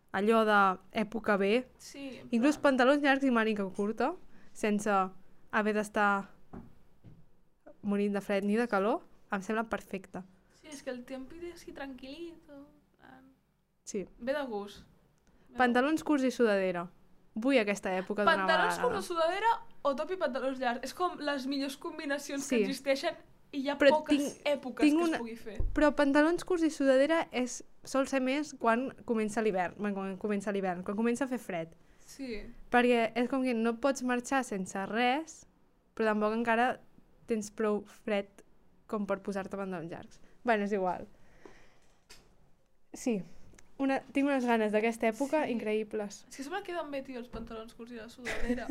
allò d'època B, Sí, inclús pantalons llargs i màniga curta, sense haver d'estar morint de fred ni de calor, em sembla perfecte. Sí, és que el tiempito així tranquil·lito. Sí. Ve de gust. Pantalons curts i sudadera. Vull aquesta època d'una vegada. Pantalons curts o sudadera o top i pantalons llargs. És com les millors combinacions que existeixen i hi ha poques èpoques que es pugui fer. Però pantalons curts i sudadera sol ser més quan comença l'hivern, quan comença a fer fred. Sí. Perquè és com que no pots marxar sense res, però tampoc encara tens prou fred com per posar-te pantalons llargs. Bueno, és igual. Sí, tinc unes ganes d'aquesta època increïbles. És que se me queden bé, tio, els pantalons curts i la sudadera.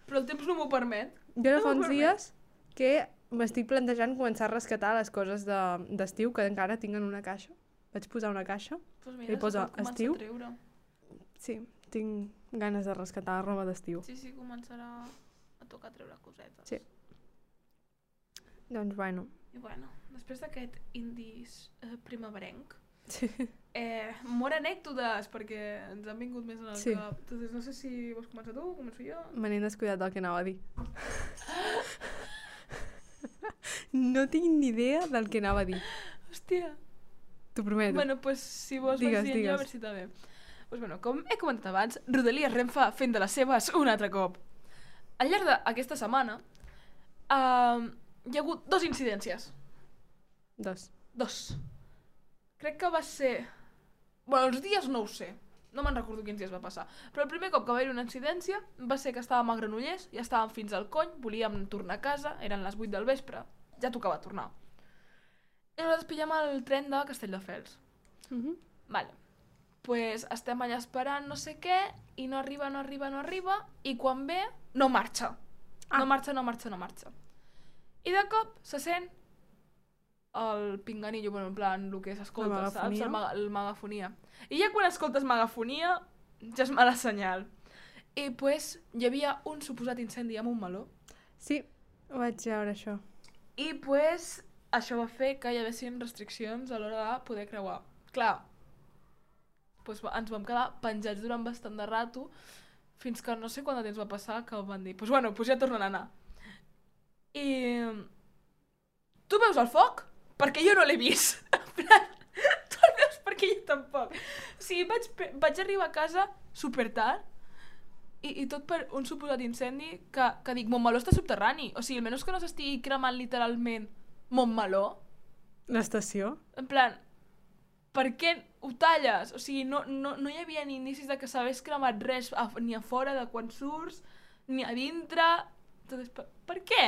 Però el temps no m'ho permet. Jo ara fa uns dies que m'estic plantejant començar a rescatar les coses d'estiu que encara tinc en una caixa. Vaig posar una caixa i posa estiu. Sí, tinc ganes de rescatar roba d'estiu. Sí, començarà a tocar treure cosetes. Sí. Doncs bueno. I bueno, després d'aquest indis primaverenc, Sí. molt anècdotes, perquè ens han vingut més en el cap. Entonces, no sé si vols començar tu o començo jo. Me n'he descuidat del que anava a dir. No tinc ni idea del que anava a dir. Hòstia. T'ho prometo. Bueno, pues si vols vaig dient jo, a veure si està bé. Pues bueno, com he comentat abans, Rodalies Renfe fent de les seves un altre cop. Al llarg d'aquesta setmana hi ha hagut 2 incidències. 2. Crec que va ser... Bueno, els dies no ho sé. No me'n recordo quins dies va passar. Però el primer cop que va haver una incidència va ser que estàvem a Granollers, ja estàvem fins al cony, volíem tornar a casa, eren les 8 del vespre, ja tocava tornar. I nosaltres pillem el tren de Castelldefels. Vale. Pues estem allà esperant no sé què, i no arriba, i quan ve, no marxa. No marxa. I de cop se sent el pinganillo, bueno, en plan, el que s'escolta, saps? La megafonia. I ja quan escoltes megafonia, ja és mala senyal. I pues hi havia un suposat incendi amb un meló. Sí, ho vaig veure, això. I pues això va fer que hi haguessin restriccions a l'hora de poder creuar. Clar, pues ens vam quedar penjats durant bastant de rato, fins que no sé quant de temps va passar que van dir, pues bueno, pues ja tornen a anar. I... Tu veus el foc? Perquè jo no l'he vist. que jo tampoc. O sigui, vaig arribar a casa super tard i tot per un suposat incendi que dic, Montmeló està subterrani. O sigui, almenys que no s'estigui cremant literalment Montmeló. L'estació? En plan, per què ho talles? O sigui, no hi havia ni indicis de que s'hagués cremat res ni a fora de quan surts, ni a dintre. Entonces, per què?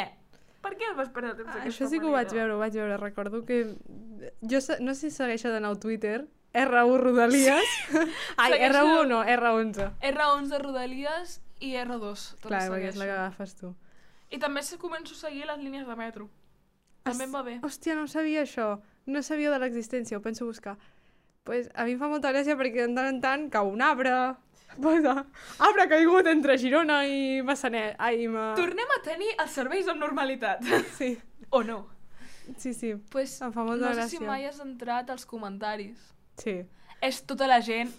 Per què el vas perdre temps d'aquesta manera? Això sí que ho vaig veure. Recordo que... Jo no sé si segueixo d'anar al Twitter, R1 Rodalies. Ai, R1 no, R11. R11 Rodalies i R2. Clar, perquè és la que agafes tu. I també començo a seguir les línies de metro. També em va bé. Hòstia, no sabia això. No sabia de l'existència, ho penso buscar. Pues a mi em fa molta gràcia perquè de tant en tant cau un arbre. Posa, arbre caigut entre Girona i Massanet. Tornem a tenir els serveis amb normalitat. Sí. O no? Sí. Pues, em fa molta gràcia. No sé si mai has entrat als comentaris. Sí. És tota la gent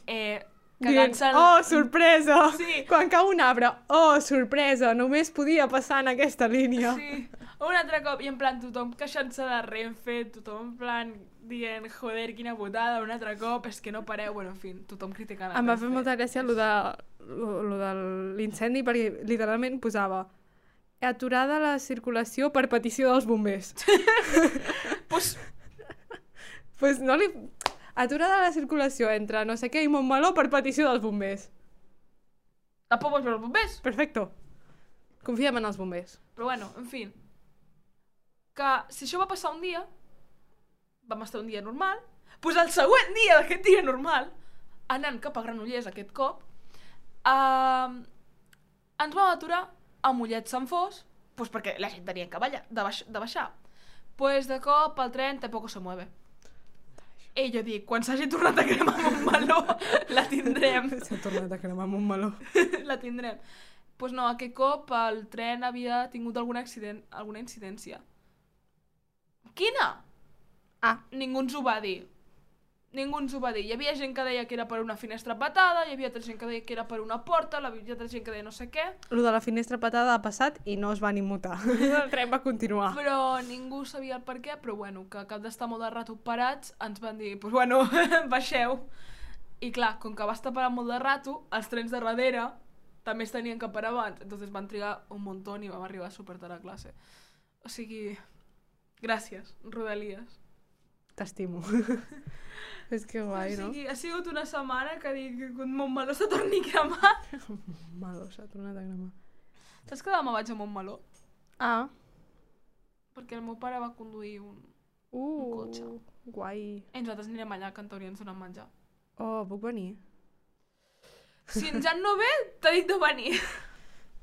cagant-se... Oh, sorpresa! Sí. Quan cau un arbre, oh, sorpresa, només podia passar en aquesta línia. Sí. Un altre cop, i en plan tothom queixant-se de Renfe, tothom en plan dient, joder, quina putada, un altre cop, és que no pareu, bueno, en fi, tothom criticant Em va fer molta gràcia lo de l'incendi, perquè literalment posava aturada la circulació per petició dels bombers. Pues no li... Aturada la circulació entre no sé què i Montmeló per petició dels bombers. Tampoc vols veure els bombers? Perfecto. Confiem en els bombers. Però bueno, en fi. Que si això va passar un dia, vam estar un dia normal, doncs el següent dia d'aquest dia normal, anant cap a Granollers aquest cop, ens vam aturar a Mollet Sant Fos, doncs perquè la gent tenia que de baixar. Doncs de cop el tren tampoc se mueve. I jo dic, quan s'hagi tornat a cremar Montmeló, la tindrem. S'ha tornat a cremar Montmeló. La tindrem. Doncs no, aquest cop el tren havia tingut alguna incidència. Quina? Ningú ens ho va dir. Hi havia gent que deia que era per una finestra patada, hi havia altra gent que deia que era per una porta, hi havia altra gent que deia no sé què. Lo de la finestra patada ha passat i no es van immutar. El tren va continuar. Però ningú sabia el per què, però bueno, que al cap d'estar molt de rato parats, ens van dir, doncs bueno, baixeu. I clar, com que va estar parat molt de rato, els trens de darrere també es tenien que parar abans, entonces van trigar un muntó i vam arribar super tard a classe. O sigui, gràcies, Rodalies. T'estimo. És que guai, no? O sigui, ha sigut una setmana que dic que Montmeló se torni a cremar. Montmeló s'ha tornat a cremar. Saps que demà vaig a Montmeló? Perquè el meu pare va conduir un cotxe. Guai. I nosaltres anirem allà que en teoria ens donen menjar. Oh, puc venir? Si ens ja no ve, t'ha dit de venir.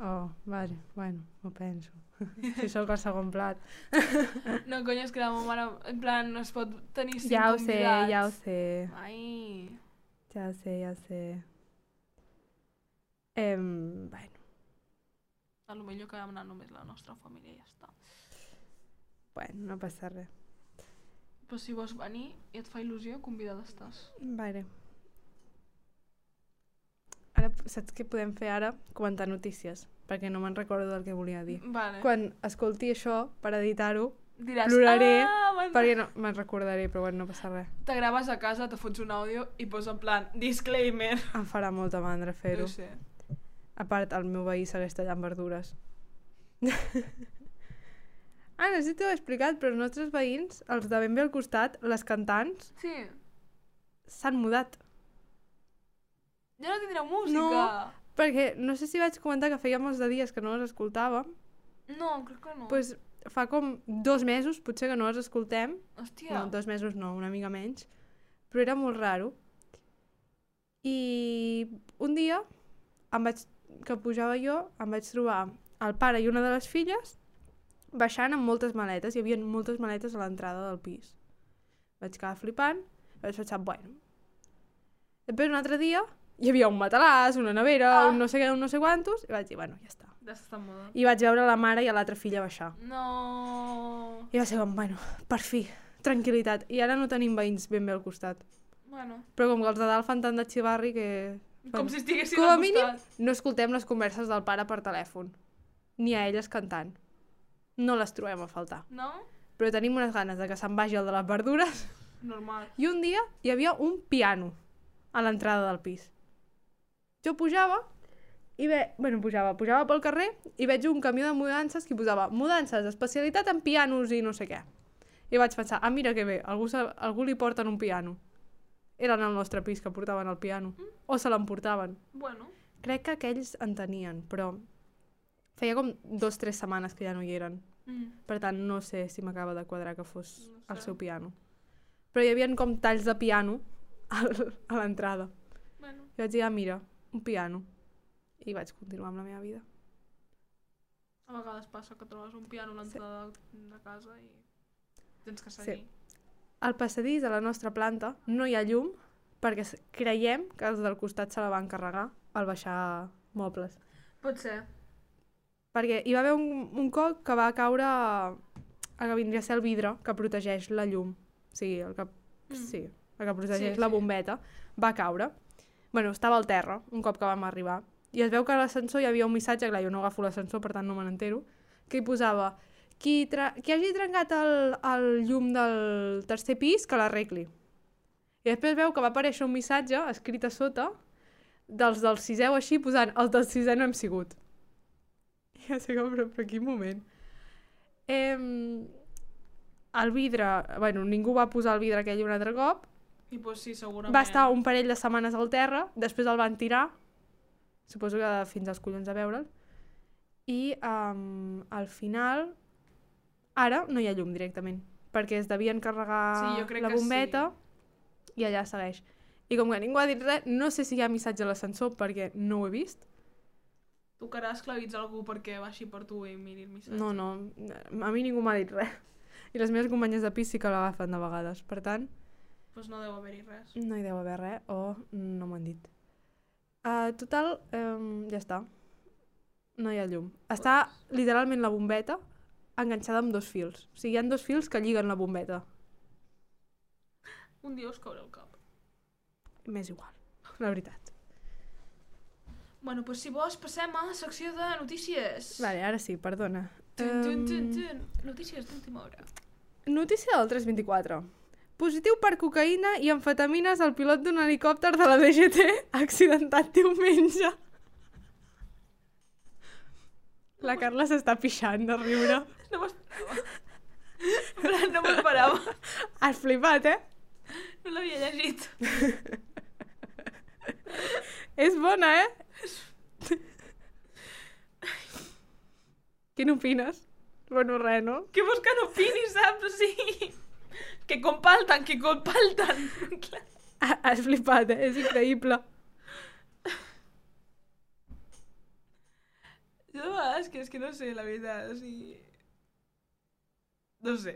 Oh, vale, bueno, m'ho penso. Si sóc el segon plat. No, cony, és que la meva mare, en plan, no es pot tenir 5 Ja ho convidats. sé. Ai. Ja ho sé. Bueno. A lo millor que vam anar només la nostra família i ja està. Bueno, no passa res. Però si vols venir i et fa il·lusió, convidada estàs. Vale. Ara, saps què podem fer ara? Comentar notícies, perquè no me'n recordo del que volia dir. Vale. Quan escolti això, per editar-ho, diràs, ploraré, perquè no me'n recordaré, però bueno, no passa res. Te graves a casa, te fots un àudio i posa en plan, disclaimer. Em farà molta mandra fer-ho. No sé. A part, el meu veí segueix tallant verdures. No sé si t'ho he explicat, però els nostres veïns, els de ben bé al costat, les cantants, Sí. s'han mudat. Ja no tindreu música. No. Perquè no sé si vaig comentar que feia molts de dies que no les escoltàvem. No, crec que no. Doncs fa com 2 mesos, potser que no les escoltem. Hòstia. No, 2 mesos no, una mica menys. Però era molt raro. I un dia, que pujava jo, em vaig trobar el pare i una de les filles baixant amb moltes maletes. Hi havia moltes maletes a l'entrada del pis. Vaig quedar flipant, vaig pensar, bueno. Després un altre dia hi havia un matalàs, una nevera, un no sé què, un no sé quantos, i vaig dir, bueno, ja està. Ja està moda. I vaig veure la mare i a l'altra filla baixar. No. I va ser com, bueno, per fi, tranquil·litat. I ara no tenim veïns ben bé al costat. Bueno. Però com que els de dalt fan tant de xivarri que... Com si estiguessin com a al mínim, costat. no escoltem les converses del pare per telèfon. Ni a elles cantant. No les trobem a faltar. No? Però tenim unes ganes de que se'n vagi el de les verdures. Normal. I un dia hi havia un piano a l'entrada del pis. Jo pujava pujava pel carrer i veig un camió de mudances que posava mudances, especialitat en pianos i no sé què. I vaig pensar, mira que bé, algú li porten un piano. Eren el nostre pis que portaven el piano. O se l'emportaven. Bueno. Crec que aquells en tenien, però feia com 2 o 3 setmanes que ja no hi eren. Per tant, no sé si m'acaba de quadrar que fos el seu piano. Però hi havia com talls de piano a l'entrada. Bueno. I vaig dir, mira, un piano. I vaig continuar amb la meva vida. A vegades passa que trobes un piano a l'entrada de casa i tens que seguir. Sí. Al passadís de la nostra planta no hi ha llum perquè creiem que els del costat se la van carregar al baixar mobles. Pot ser. Perquè hi va haver un cop que va caure el que vindria a ser el vidre que protegeix la llum. Sí, el que protegeix la bombeta. Va caure. Bueno, estava al terra un cop que vam arribar. I es veu que a l'ascensor hi havia un missatge, clar, jo no agafo l'ascensor, per tant no me n'entero, que hi posava qui hagi trencat el llum del tercer pis, que l'arregli. I després veu que va aparèixer un missatge escrit a sota dels del sisè o així, posant els del sisè no hem sigut. I ja sé com, però quin moment. El vidre, ningú va posar el vidre aquell un altre cop. I pues sí, segurament. Va estar un parell de setmanes al terra, després el van tirar, suposo que fins als collons a veure'l, i al final, ara no hi ha llum directament, perquè es devien carregar la bombeta i allà segueix. I com que ningú ha dit res, no sé si hi ha missatge a l'ascensor perquè no ho he vist. Tocarà esclavitzar algú perquè baixi per tu i miri el missatge. No, a mi ningú m'ha dit res. I les meves companyes de pis sí que l'agafen de vegades, per tant... Doncs no deu haver-hi res. No hi deu haver res, o no m'han dit. Total, ja està. No hi ha llum. Està literalment la bombeta enganxada amb 2 fils. O sigui, hi ha 2 fils que lliguen la bombeta. Un dia us caurà el cap. M'és igual, la veritat. Bueno, doncs si vols passem a la secció de notícies. Vale, ara sí, perdona. Notícies d'última hora. Notícia del 324. Positiu per cocaïna i amfetamines al pilot d'un helicòpter de la DGT accidentat diumenge. La Carla s'està pixant de riure. No m'esperava. Has flipat, No l'havia llegit. És bona, Què n'opines? Bueno, res, no? Què vols que n'opini, saps? O sigui... Que compalten. Has flipat, És increïble. Jo de vegades que és que no sé, la veritat, o sigui... No sé.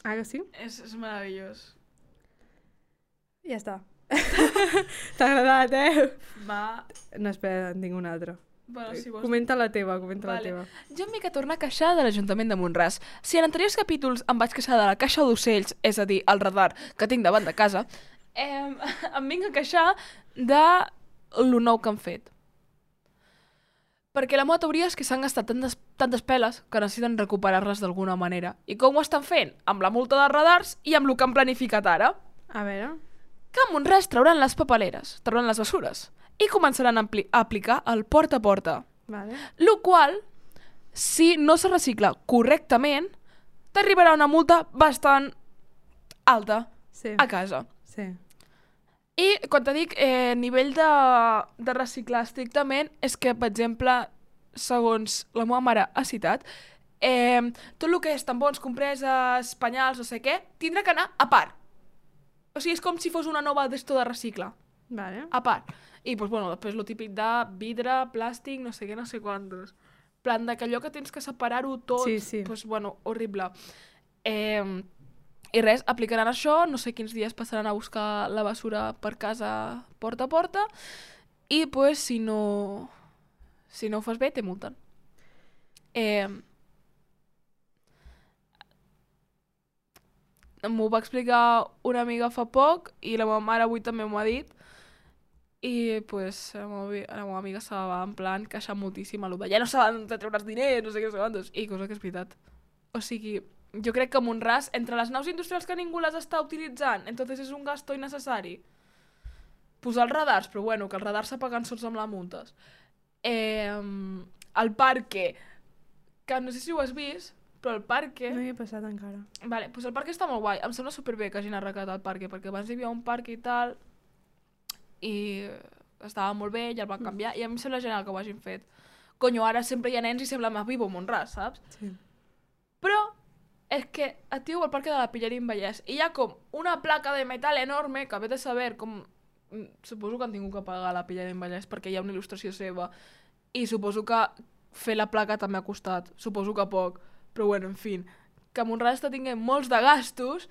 Ah, que sí? És meravellós. Ja està. T'ha agradat, Va. No, espera, en tinc una altra. Bueno, si vols... Comenta la teva. Jo m'he de tornar a queixar de l'Ajuntament de Mont-ras. Si en anteriors capítols em vaig queixar de la caixa d'ocells, és a dir, el radar que tinc davant de casa, em vinc a queixar de lo nou que han fet. Perquè la meva teoria és que s'han gastat tantes peles que necessiten recuperar-les d'alguna manera. I com ho estan fent? Amb la multa dels radars i amb el que han planificat ara. A veure... Que a Mont-ras trauran les papeleres, trauran les bessures, i començaran a aplicar el porta a porta. Vale. Lo qual, si no se recicla correctament, t'arribarà una multa bastant alta a casa. Sí. I quan te dic nivell de reciclar estrictament, és que, per exemple, segons la meva mare ha citat, tot el que és tampons, compreses, penyals, no sé què, tindrà que anar a part. O sigui, és com si fos una nova d'esto de reciclar. Vale. A part. I, doncs, bueno, després lo típic de vidre, plàstic, no sé què, no sé quantos. Plan de que allò que tens que separar-ho tot, doncs, bueno, horrible. I res, aplicaran això, no sé quins dies passaran a buscar la bessura per casa porta a porta, i, doncs, si no ho fas bé, te multen. M'ho va explicar una amiga fa poc i la meva mare avui també m'ho ha dit I pues la meva amiga se va en plan queixar moltíssim a lo de ja no saben de treure els diners, no sé què quantos, i cosa que és veritat. O sigui, jo crec que Mont-ras, entre les naus industrials que ningú les està utilitzant, entonces és un gasto innecessari. Posar els radars, però bueno, que els radars s'apaguen sols amb la multes. El parque, que no sé si ho has vist, però el parque... No hi he passat encara. Vale, doncs el parque està molt guai. Em sembla superbé que hagin arreglat el parque, perquè abans hi havia un parc i tal, i estava molt bé, ja el van canviar, i a mi em sembla genial que ho hagin fet. Conyo, ara sempre hi ha nens i sembla més vivo Mont-ras, saps? Sí. Però és que et diu el parque de la Pillerín Vallès, i hi ha com una placa de metal enorme, que vete a saber com... Suposo que han tingut que pagar la Pillerín Vallès perquè hi ha una il·lustració seva, i suposo que fer la placa també ha costat, suposo que poc, però bueno, en fi, que Mont-ras està tinguent molts de gastos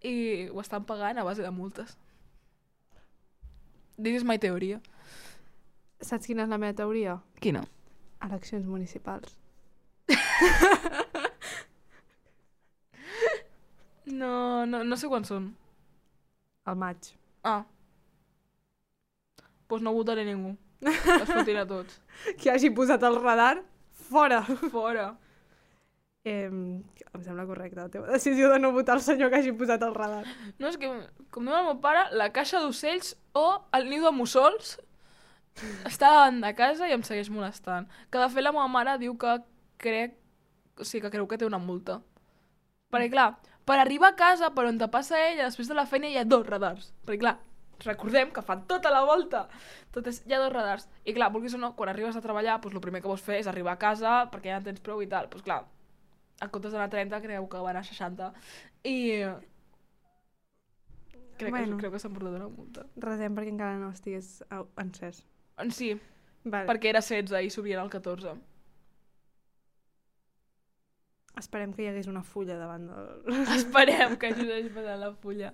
i ho estan pagant a base de multes. This is my teoria. Saps quina és la meva teoria? Quina? Eleccions municipals. No sé quan són. Al maig. Ah. Doncs no votaré ningú. Es fotin a tots. Qui hagi posat el radar, fora. Fora. Em sembla correcta la teva decisió de no votar el senyor que hagi posat el radar. No, és que, com diu el meu pare, la caixa d'ocells o el niu de mussols està davant de casa i em segueix molestant. Que de fet la meva mare diu que creu que té una multa. Perquè clar, per arribar a casa, per on te passa ella, després de la feina hi ha 2 radars. Perquè clar, recordem que fan tota la volta. Entonces hi ha 2 radars. I clar, vulguis o no, quan arribes a treballar, pues, el primer que vols fer és arribar a casa perquè ja en tens prou i tal. Pues clar, en comptes d'anar a 30, creu que van a 60. I crec que s'han portat una multa. Resem perquè encara no estigués encès. Sí, Vale. perquè era 16 i s'obrien al 14. Esperem que hi hagués una fulla davant del... Esperem que hagi passat la fulla.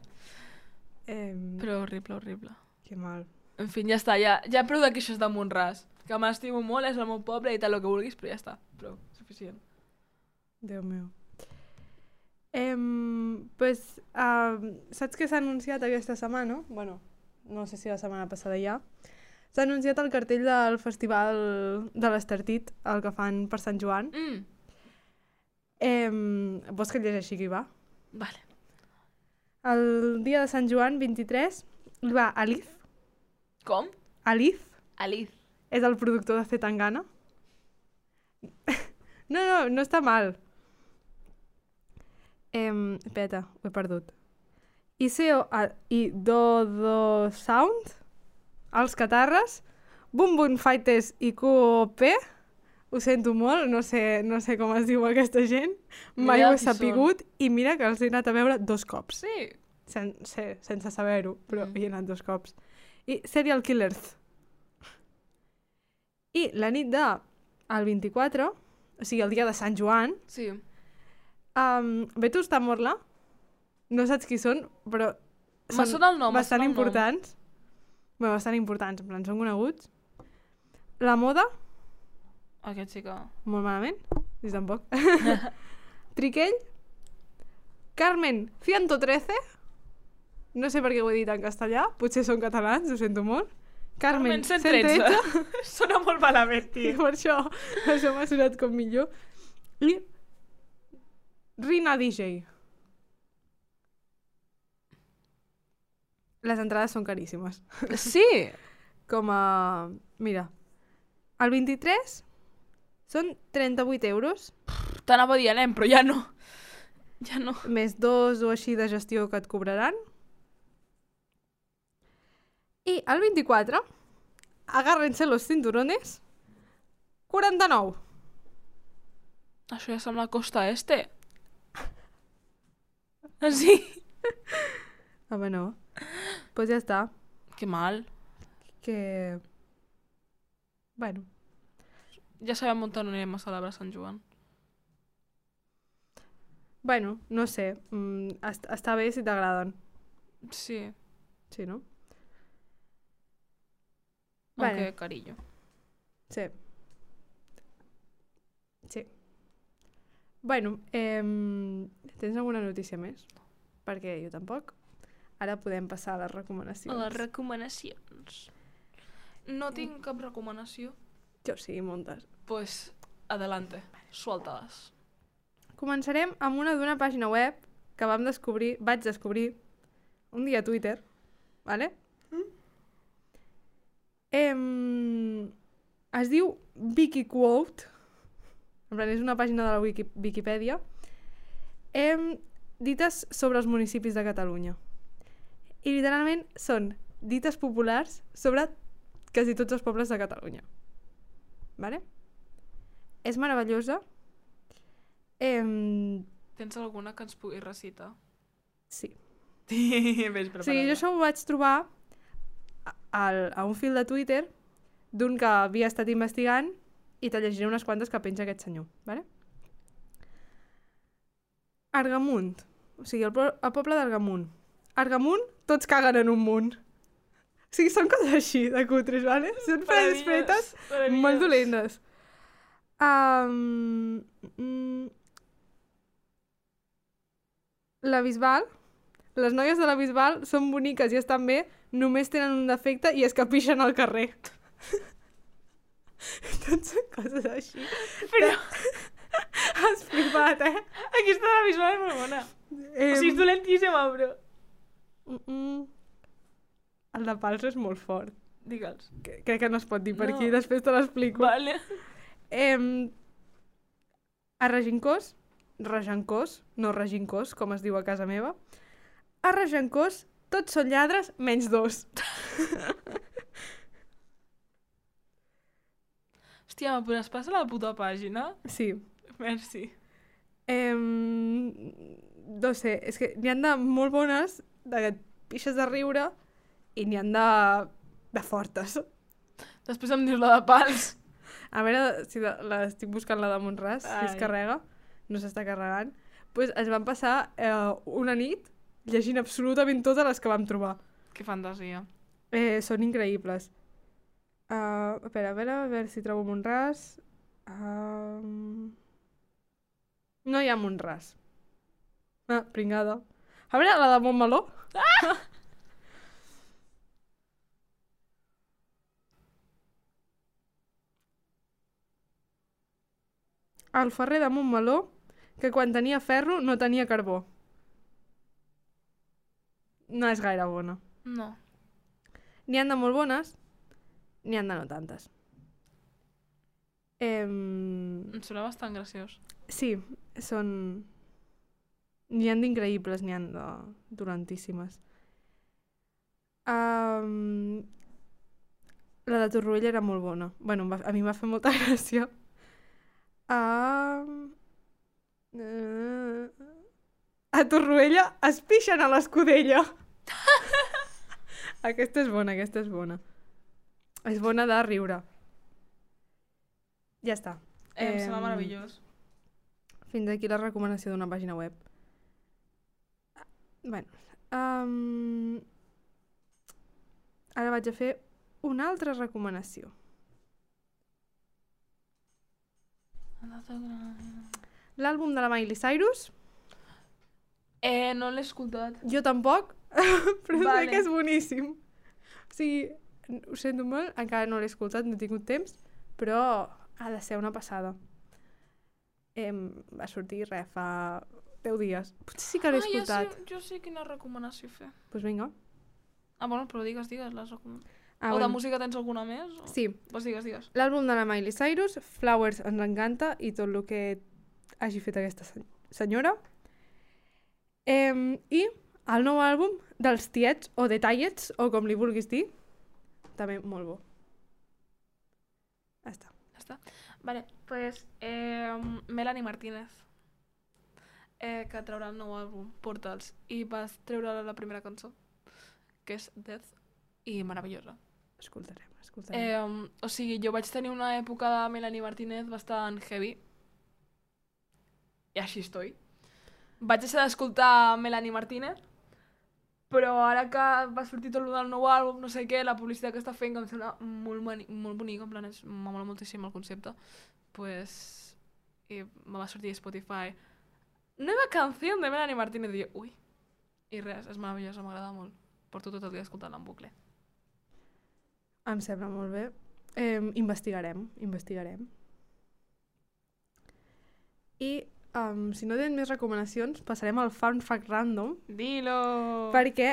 Però... Però horrible. Que mal. En fi, ja està, ja prou de queixes de Mont-ras. Que m'estimo molt, és el meu poble i tal, el que vulguis, però ja està. Prou, suficient. Déu meu. Saps què s'ha anunciat aquesta setmana? Bueno, no sé si la setmana passada ja. S'ha anunciat el cartell del Festival de l'Estartit, el que fan per Sant Joan. Vols que et llegeixi qui va? Vale. El dia de Sant Joan, 23, hi va Alif. Com? Alif. Alif. És el productor de Zetangana. No està mal. Espera, ho he perdut. Iseo i Dodo Sound, els Catarres, Boom Boom Fighters i QOP, ho sento molt, no sé com es diu aquesta gent, mai ho he sapigut, i mira que els he anat a veure 2 cops. Sí. Sense saber-ho, però hi he anat 2 cops. I Serial Killers. I la nit del 24, o sigui, el dia de Sant Joan, Sí. Vetus Tamorla, no saps qui són, però Me sona el nom. bastant importants. Bueno, bastant importants, en plan, són coneguts. La Moda, Aquest sí que... molt malament, ni tampoc. Triquell, Carmen 113, no sé per què ho he dit en castellà, potser són catalans, ho sento molt. Carmen 113. Sona molt malament, I tio. per això m'ha sonat com millor. I Rina DJ. Les entrades són caríssimes. Sí. Com a... Mira, el 23 són 38 euros, T'anava a dir anem, però ja no. Ja no. més 2 o així de gestió que et cobraran. I el 24, agárrense los cinturones, 49. Això ja sembla Costa Este. Sí. Home, no. Pues ja està. Que mal. Que... Bueno, Ja sabem on anirem a celebrar Sant Joan. bueno, no sé. Està bé si t'agraden. Sí. Sí, no? Aunque carillo. Sí. Sí. Bueno, tens alguna notícia més? Perquè jo tampoc. Ara podem passar a les recomanacions. A les recomanacions. No tinc cap recomanació. Jo sí, moltes. Pues, adelante, suéltalas. Començarem amb una d'una pàgina web que vaig descobrir un dia a Twitter, ¿vale? Es diu Wikiquote, en plan, és una pàgina de la Viquipèdia, dites sobre els municipis de Catalunya. I literalment són dites populars sobre quasi tots els pobles de Catalunya. ¿Vale? És meravellosa. Tens alguna que ens pugui recitar? Sí. Ves O sigui, jo això ho vaig trobar a un fil de Twitter d'un que havia estat investigant i te llegiré unes quantes que penja aquest senyor. ¿Vale? Argamunt. O sigui, el poble d'Argamunt. Argamunt, tots caguen en un munt. O sigui, són coses així, de cutres, ¿vale? Són frases fetes molt dolentes. La Bisbal, les noies de la Bisbal són boniques i estan bé, només tenen un defecte i es capixen al carrer. Tot són coses així. Però Has flipat, eh? aquesta de la Bisbal és molt bona. O sigui, és dolentíssima, bro. El de Pals és molt fort. Digue'ls. Crec que no es pot dir per No. aquí, després te l'explico. Vale. A Regencós, no Regincós, com es diu a casa meva, a Regencós tots són lladres menys 2. Hòstia, me podràs passar la puta pàgina? Sí. Merci. No sé, és que n'hi ha de molt bones, de que et pixes de riure, i n'hi ha de fortes. Després em dius la de pals. A veure si estic buscant la de Montràs, si es Ai. carrega, no s'està carregant. Pues ens vam passar una nit llegint absolutament totes les que vam trobar. Que fantasia. Són increïbles. Espera, a veure si trobo Montràs. No hi ha Montràs. Pringada. A veure, la de Montmeló. El ferrer de Montmeló, que quan tenia ferro no tenia carbó. No és gaire bona. No. N'hi han de molt bones, n'hi han de no tantes. Em sembla bastant graciós. Sí, són... N'hi han d'increïbles, n'hi han de dolentíssimes. La de Torroella era molt bona. Bueno, a mi em va fer molta gràcia. A Torroella es pixen a l'escudella. Aquesta és bona, aquesta és bona. És bona de riure. Ja està. Em sembla meravellós. Fins aquí la recomanació d'una pàgina web. Bueno, ara vaig a fer una altra recomanació. L'àlbum de la Miley Cyrus, No l'he escoltat. jo tampoc, però sé Vale. que és boníssim. O sigui, ho sento molt, encara no l'he escoltat, no he tingut temps, però ha de ser una passada. Va sortir fa 10 dies. Potser sí que l'he escoltat. Jo sé quina recomanació fer. Doncs pues vinga. Bueno, però digues les recomanacions. O de Bueno, música tens alguna més? O... sí, Pues digues. l'àlbum de la Miley Cyrus, Flowers, ens encanta, i tot el que hagi fet aquesta senyora. I el nou àlbum dels Tiets, o The Tiets, o com li vulguis dir, també molt bo. Ja està. Vale, pues Melanie Martínez, que traurà el nou àlbum, Portals, i vas treure la primera cançó, que és Death, i meravellosa. Escoltarem. O sigui, jo vaig tenir una època de Melanie Martínez bastant heavy, i així estoy. Vaig deixar d'escoltar Melanie Martínez, però ara que va sortir tot el nou àlbum, no sé què, la publicitat que està fent, que em sembla molt bonica, en plan, m'amola moltíssim el concepte, pues, i me va sortir a Spotify nueva canción de Melanie Martínez, i jo, ui, i res, és meravellosa, m'agrada molt. Porto tot el dia escoltant-la en bucle. Em sembla molt bé. Investigarem. I si no tenen més recomanacions, passarem al Fun Fact Random. Dilo! Perquè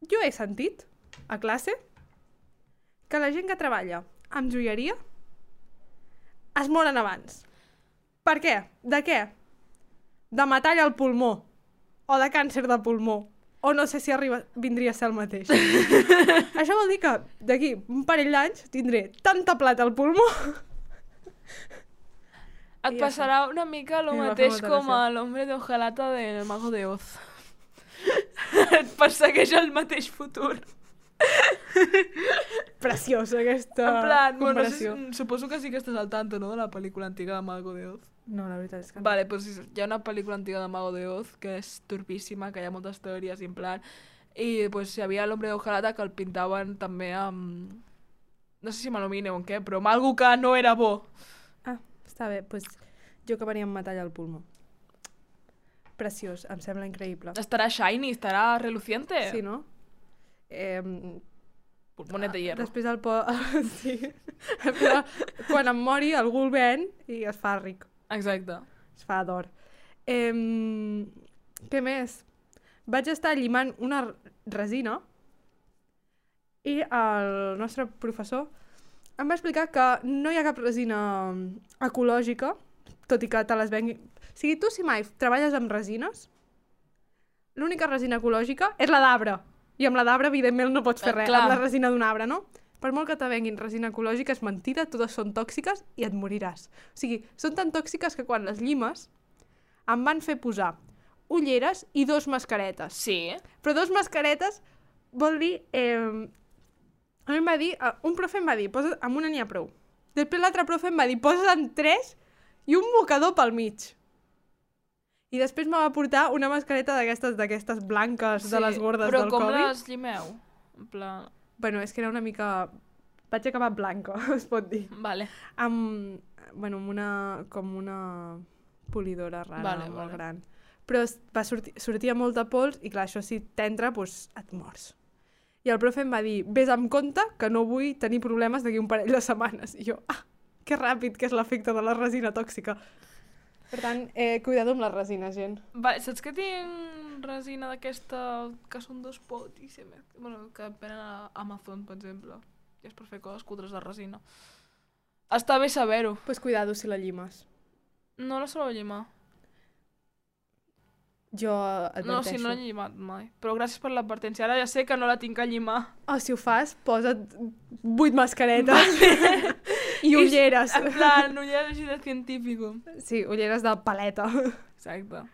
jo he sentit a classe que la gent que treballa amb joieria es moren abans. Per què? De què? De metall al pulmó. O de càncer de pulmó. O no sé si vindria a ser el mateix. Això vol dir que d'aquí un parell d'anys tindré tanta plata al pulmó. Et passarà una mica el I em va fer mateix molta com gràcia. a l'hombre de hojalata del Mago de Oz. Et persegueix el mateix futur. Preciosa aquesta En plan, bueno, no sé, comparació. suposo que sí que estàs al tanto, no?, de la pel·lícula antiga de Mago de Oz. No, la veritat és que no. Vale, doncs hi ha una pel·lícula antiga de Mago de Oz que és turpíssima, que hi ha moltes teories i en plan... I pues, hi havia l'hombre de hojalata que el pintaven també amb... No sé si amb alumini o amb què, però amb algo que no era bo. Ah, està bé. Doncs jo acabaria amb metall al pulmó. Preciós, em sembla increïble. Estarà shiny, estarà reluciente. Sí, no? Pulmonet de hierro. Després sí. Quan em mori, algú el ven i es fa ric. Exacte. Es fa d'or. Què més? Vaig estar llimant una resina i el nostre professor em va explicar que no hi ha cap resina ecològica, tot i que te les vengui... O sigui, tu si mai treballes amb resines, l'única resina ecològica és la d'arbre. I amb la d'arbre, evidentment, no pots fer res. clar. Amb la resina d'un arbre, no? Per molt que te venguin resina ecològica, és mentida, totes són tòxiques i et moriràs. O sigui, són tan tòxiques que quan les llimes em van fer posar ulleres i 2 mascaretes. Sí. Però 2 mascaretes vol dir... a mi em va dir... un profe em va dir, posa't, amb una n'hi ha prou. Després l'altre profe em va dir, posa't 3 i un mocador pel mig. I després me va portar una mascareta d'aquestes blanques de les gordes del Covid. Però com les llimeu? En plan... Bueno, és que era una mica... Vaig acabar blanca, es pot dir. Vale. Amb una... com una polidora rara, molt gran. Però sortia molta pols i clar, això si t'entra, doncs et mors. I el profe em va dir, vés amb compte que no vull tenir problemes d'aquí un parell de setmanes. I jo, que ràpid que és l'efecte de la resina tòxica. Per tant, cuidado amb les resines, gent. Vale, saps que tinc resina d'aquesta que són 2 pots i bueno, que venen a Amazon, per exemple. I és per fer coses cutres de resina. Està bé saber-ho. Pues cuidado si la llimes. No la sabeu llimar. Jo adverteixo. No, sí, no l'he llimat mai. Però gràcies per l'advertència. Ara ja sé que no la tinc a llimar. O si ho fas, posa't 8 mascaretes i ulleres. En plan, ulleres així de científico. Sí, ulleres de paleta. Exacte.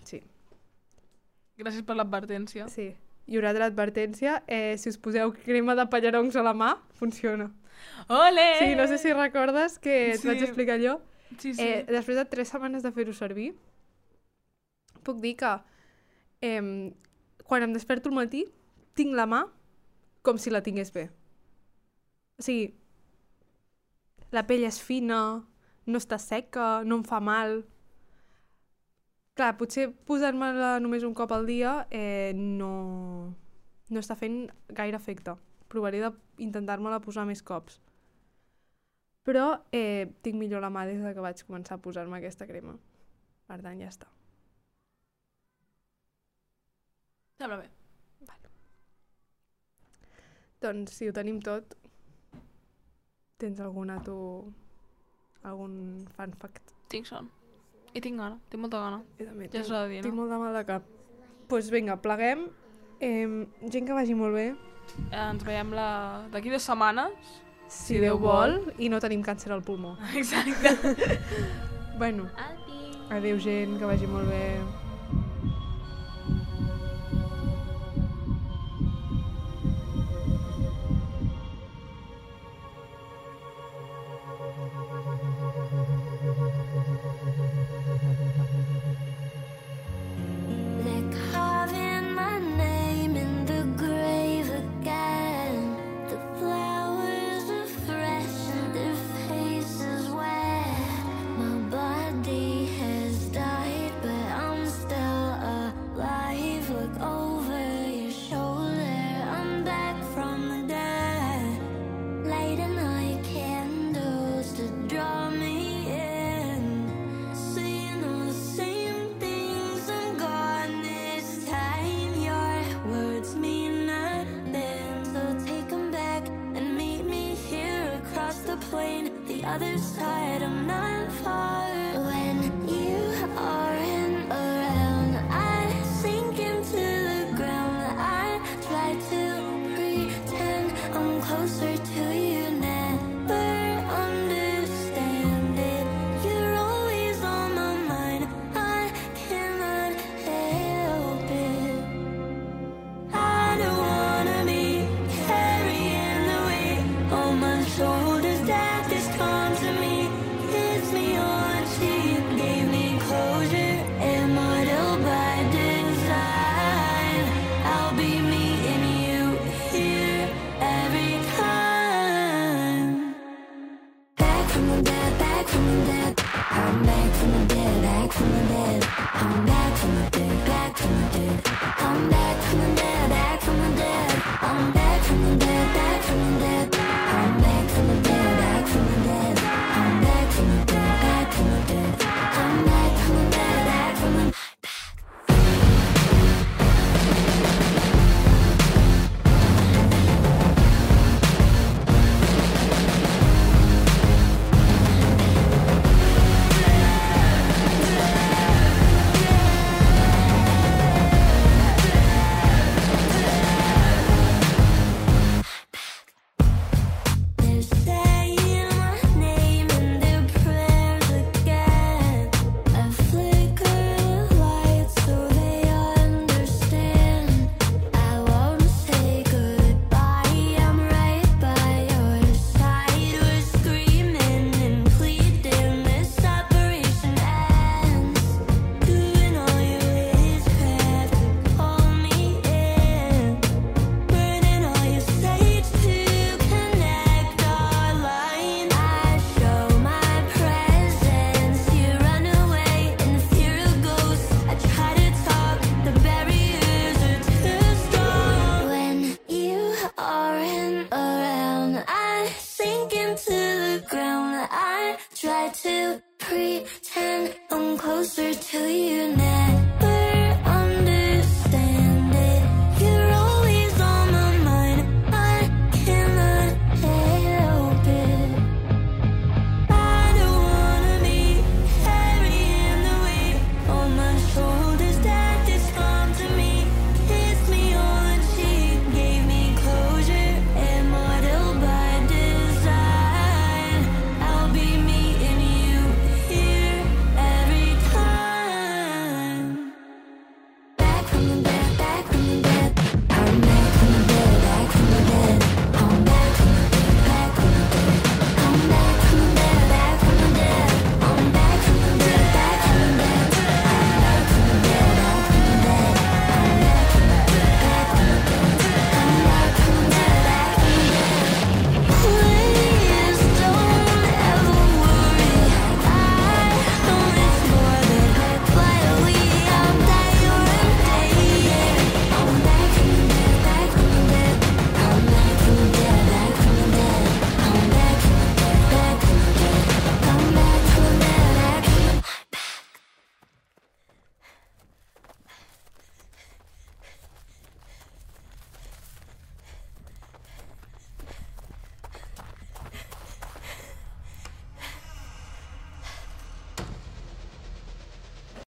Sí. Gràcies per l'advertència. Sí. I una altra advertència, si us poseu crema de pallaroncs a la mà, funciona. Ole! Sí, no sé si recordes que et vaig explicar allò. Sí, sí. Després de 3 setmanes de fer-ho servir, puc dir que quan em desperto al matí tinc la mà com si la tingués bé. O sigui, la pell és fina, no està seca, no em fa mal. Clar, potser posar-me-la només un cop al dia no està fent gaire efecte. Provaré d'intentar-me-la posar més cops. Però tinc millor la mà des que vaig començar a posar-me aquesta crema. Per tant, ja està. Sembla bé. Vale. Doncs, si ho tenim tot, tens algun fun fact? Tinc son. I tinc gana. Tinc molta gana. Jo també Ja s'ha de dir, tinc no? molt de mal de cap. Doncs vinga, pleguem. Gent que vagi molt bé. Ens veiem d'aquí 2 setmanes. Si Déu vol, i no tenim càncer al pulmó. Exacte. Bueno, adéu gent, que vagi molt bé. They're carving my name in the grave again. The flowers are fresh and their faces wet. My body has died, but I'm other side, I'm not far. When you aren't around, I sink into the ground. I try to pretend I'm closer to you, never understand it. You're always on my mind, I cannot help it. I don't wanna be carrying the weight on my shoulders that this come to me. Hits me on cheek, gave me closure, immortal by design. I'll be meeting you here every time. Back from the dead, back from the dead. I'm back from the dead, back from the dead. I'm back from the dead, back from the dead. I'm back from the dead, back from the dead. I'm back from the dead, back from the dead. I'm back from the dead, back from the dead. I'm back from the dead, back from the dead. I'm back from the dead, back from the dead. They're saying my name in their prayers again. I flicker the light so they understand. I won't say goodbye, I'm right by your side. We're screaming and pleading, this separation ends. Doing all your witchcraft to call me in. Burning all your sage to connect our line. I show my presence, you run away in the fear of ghosts. I try to talk, the barriers are too strong. When you aren't around, I sink into the ground. I try to pretend I'm closer to you,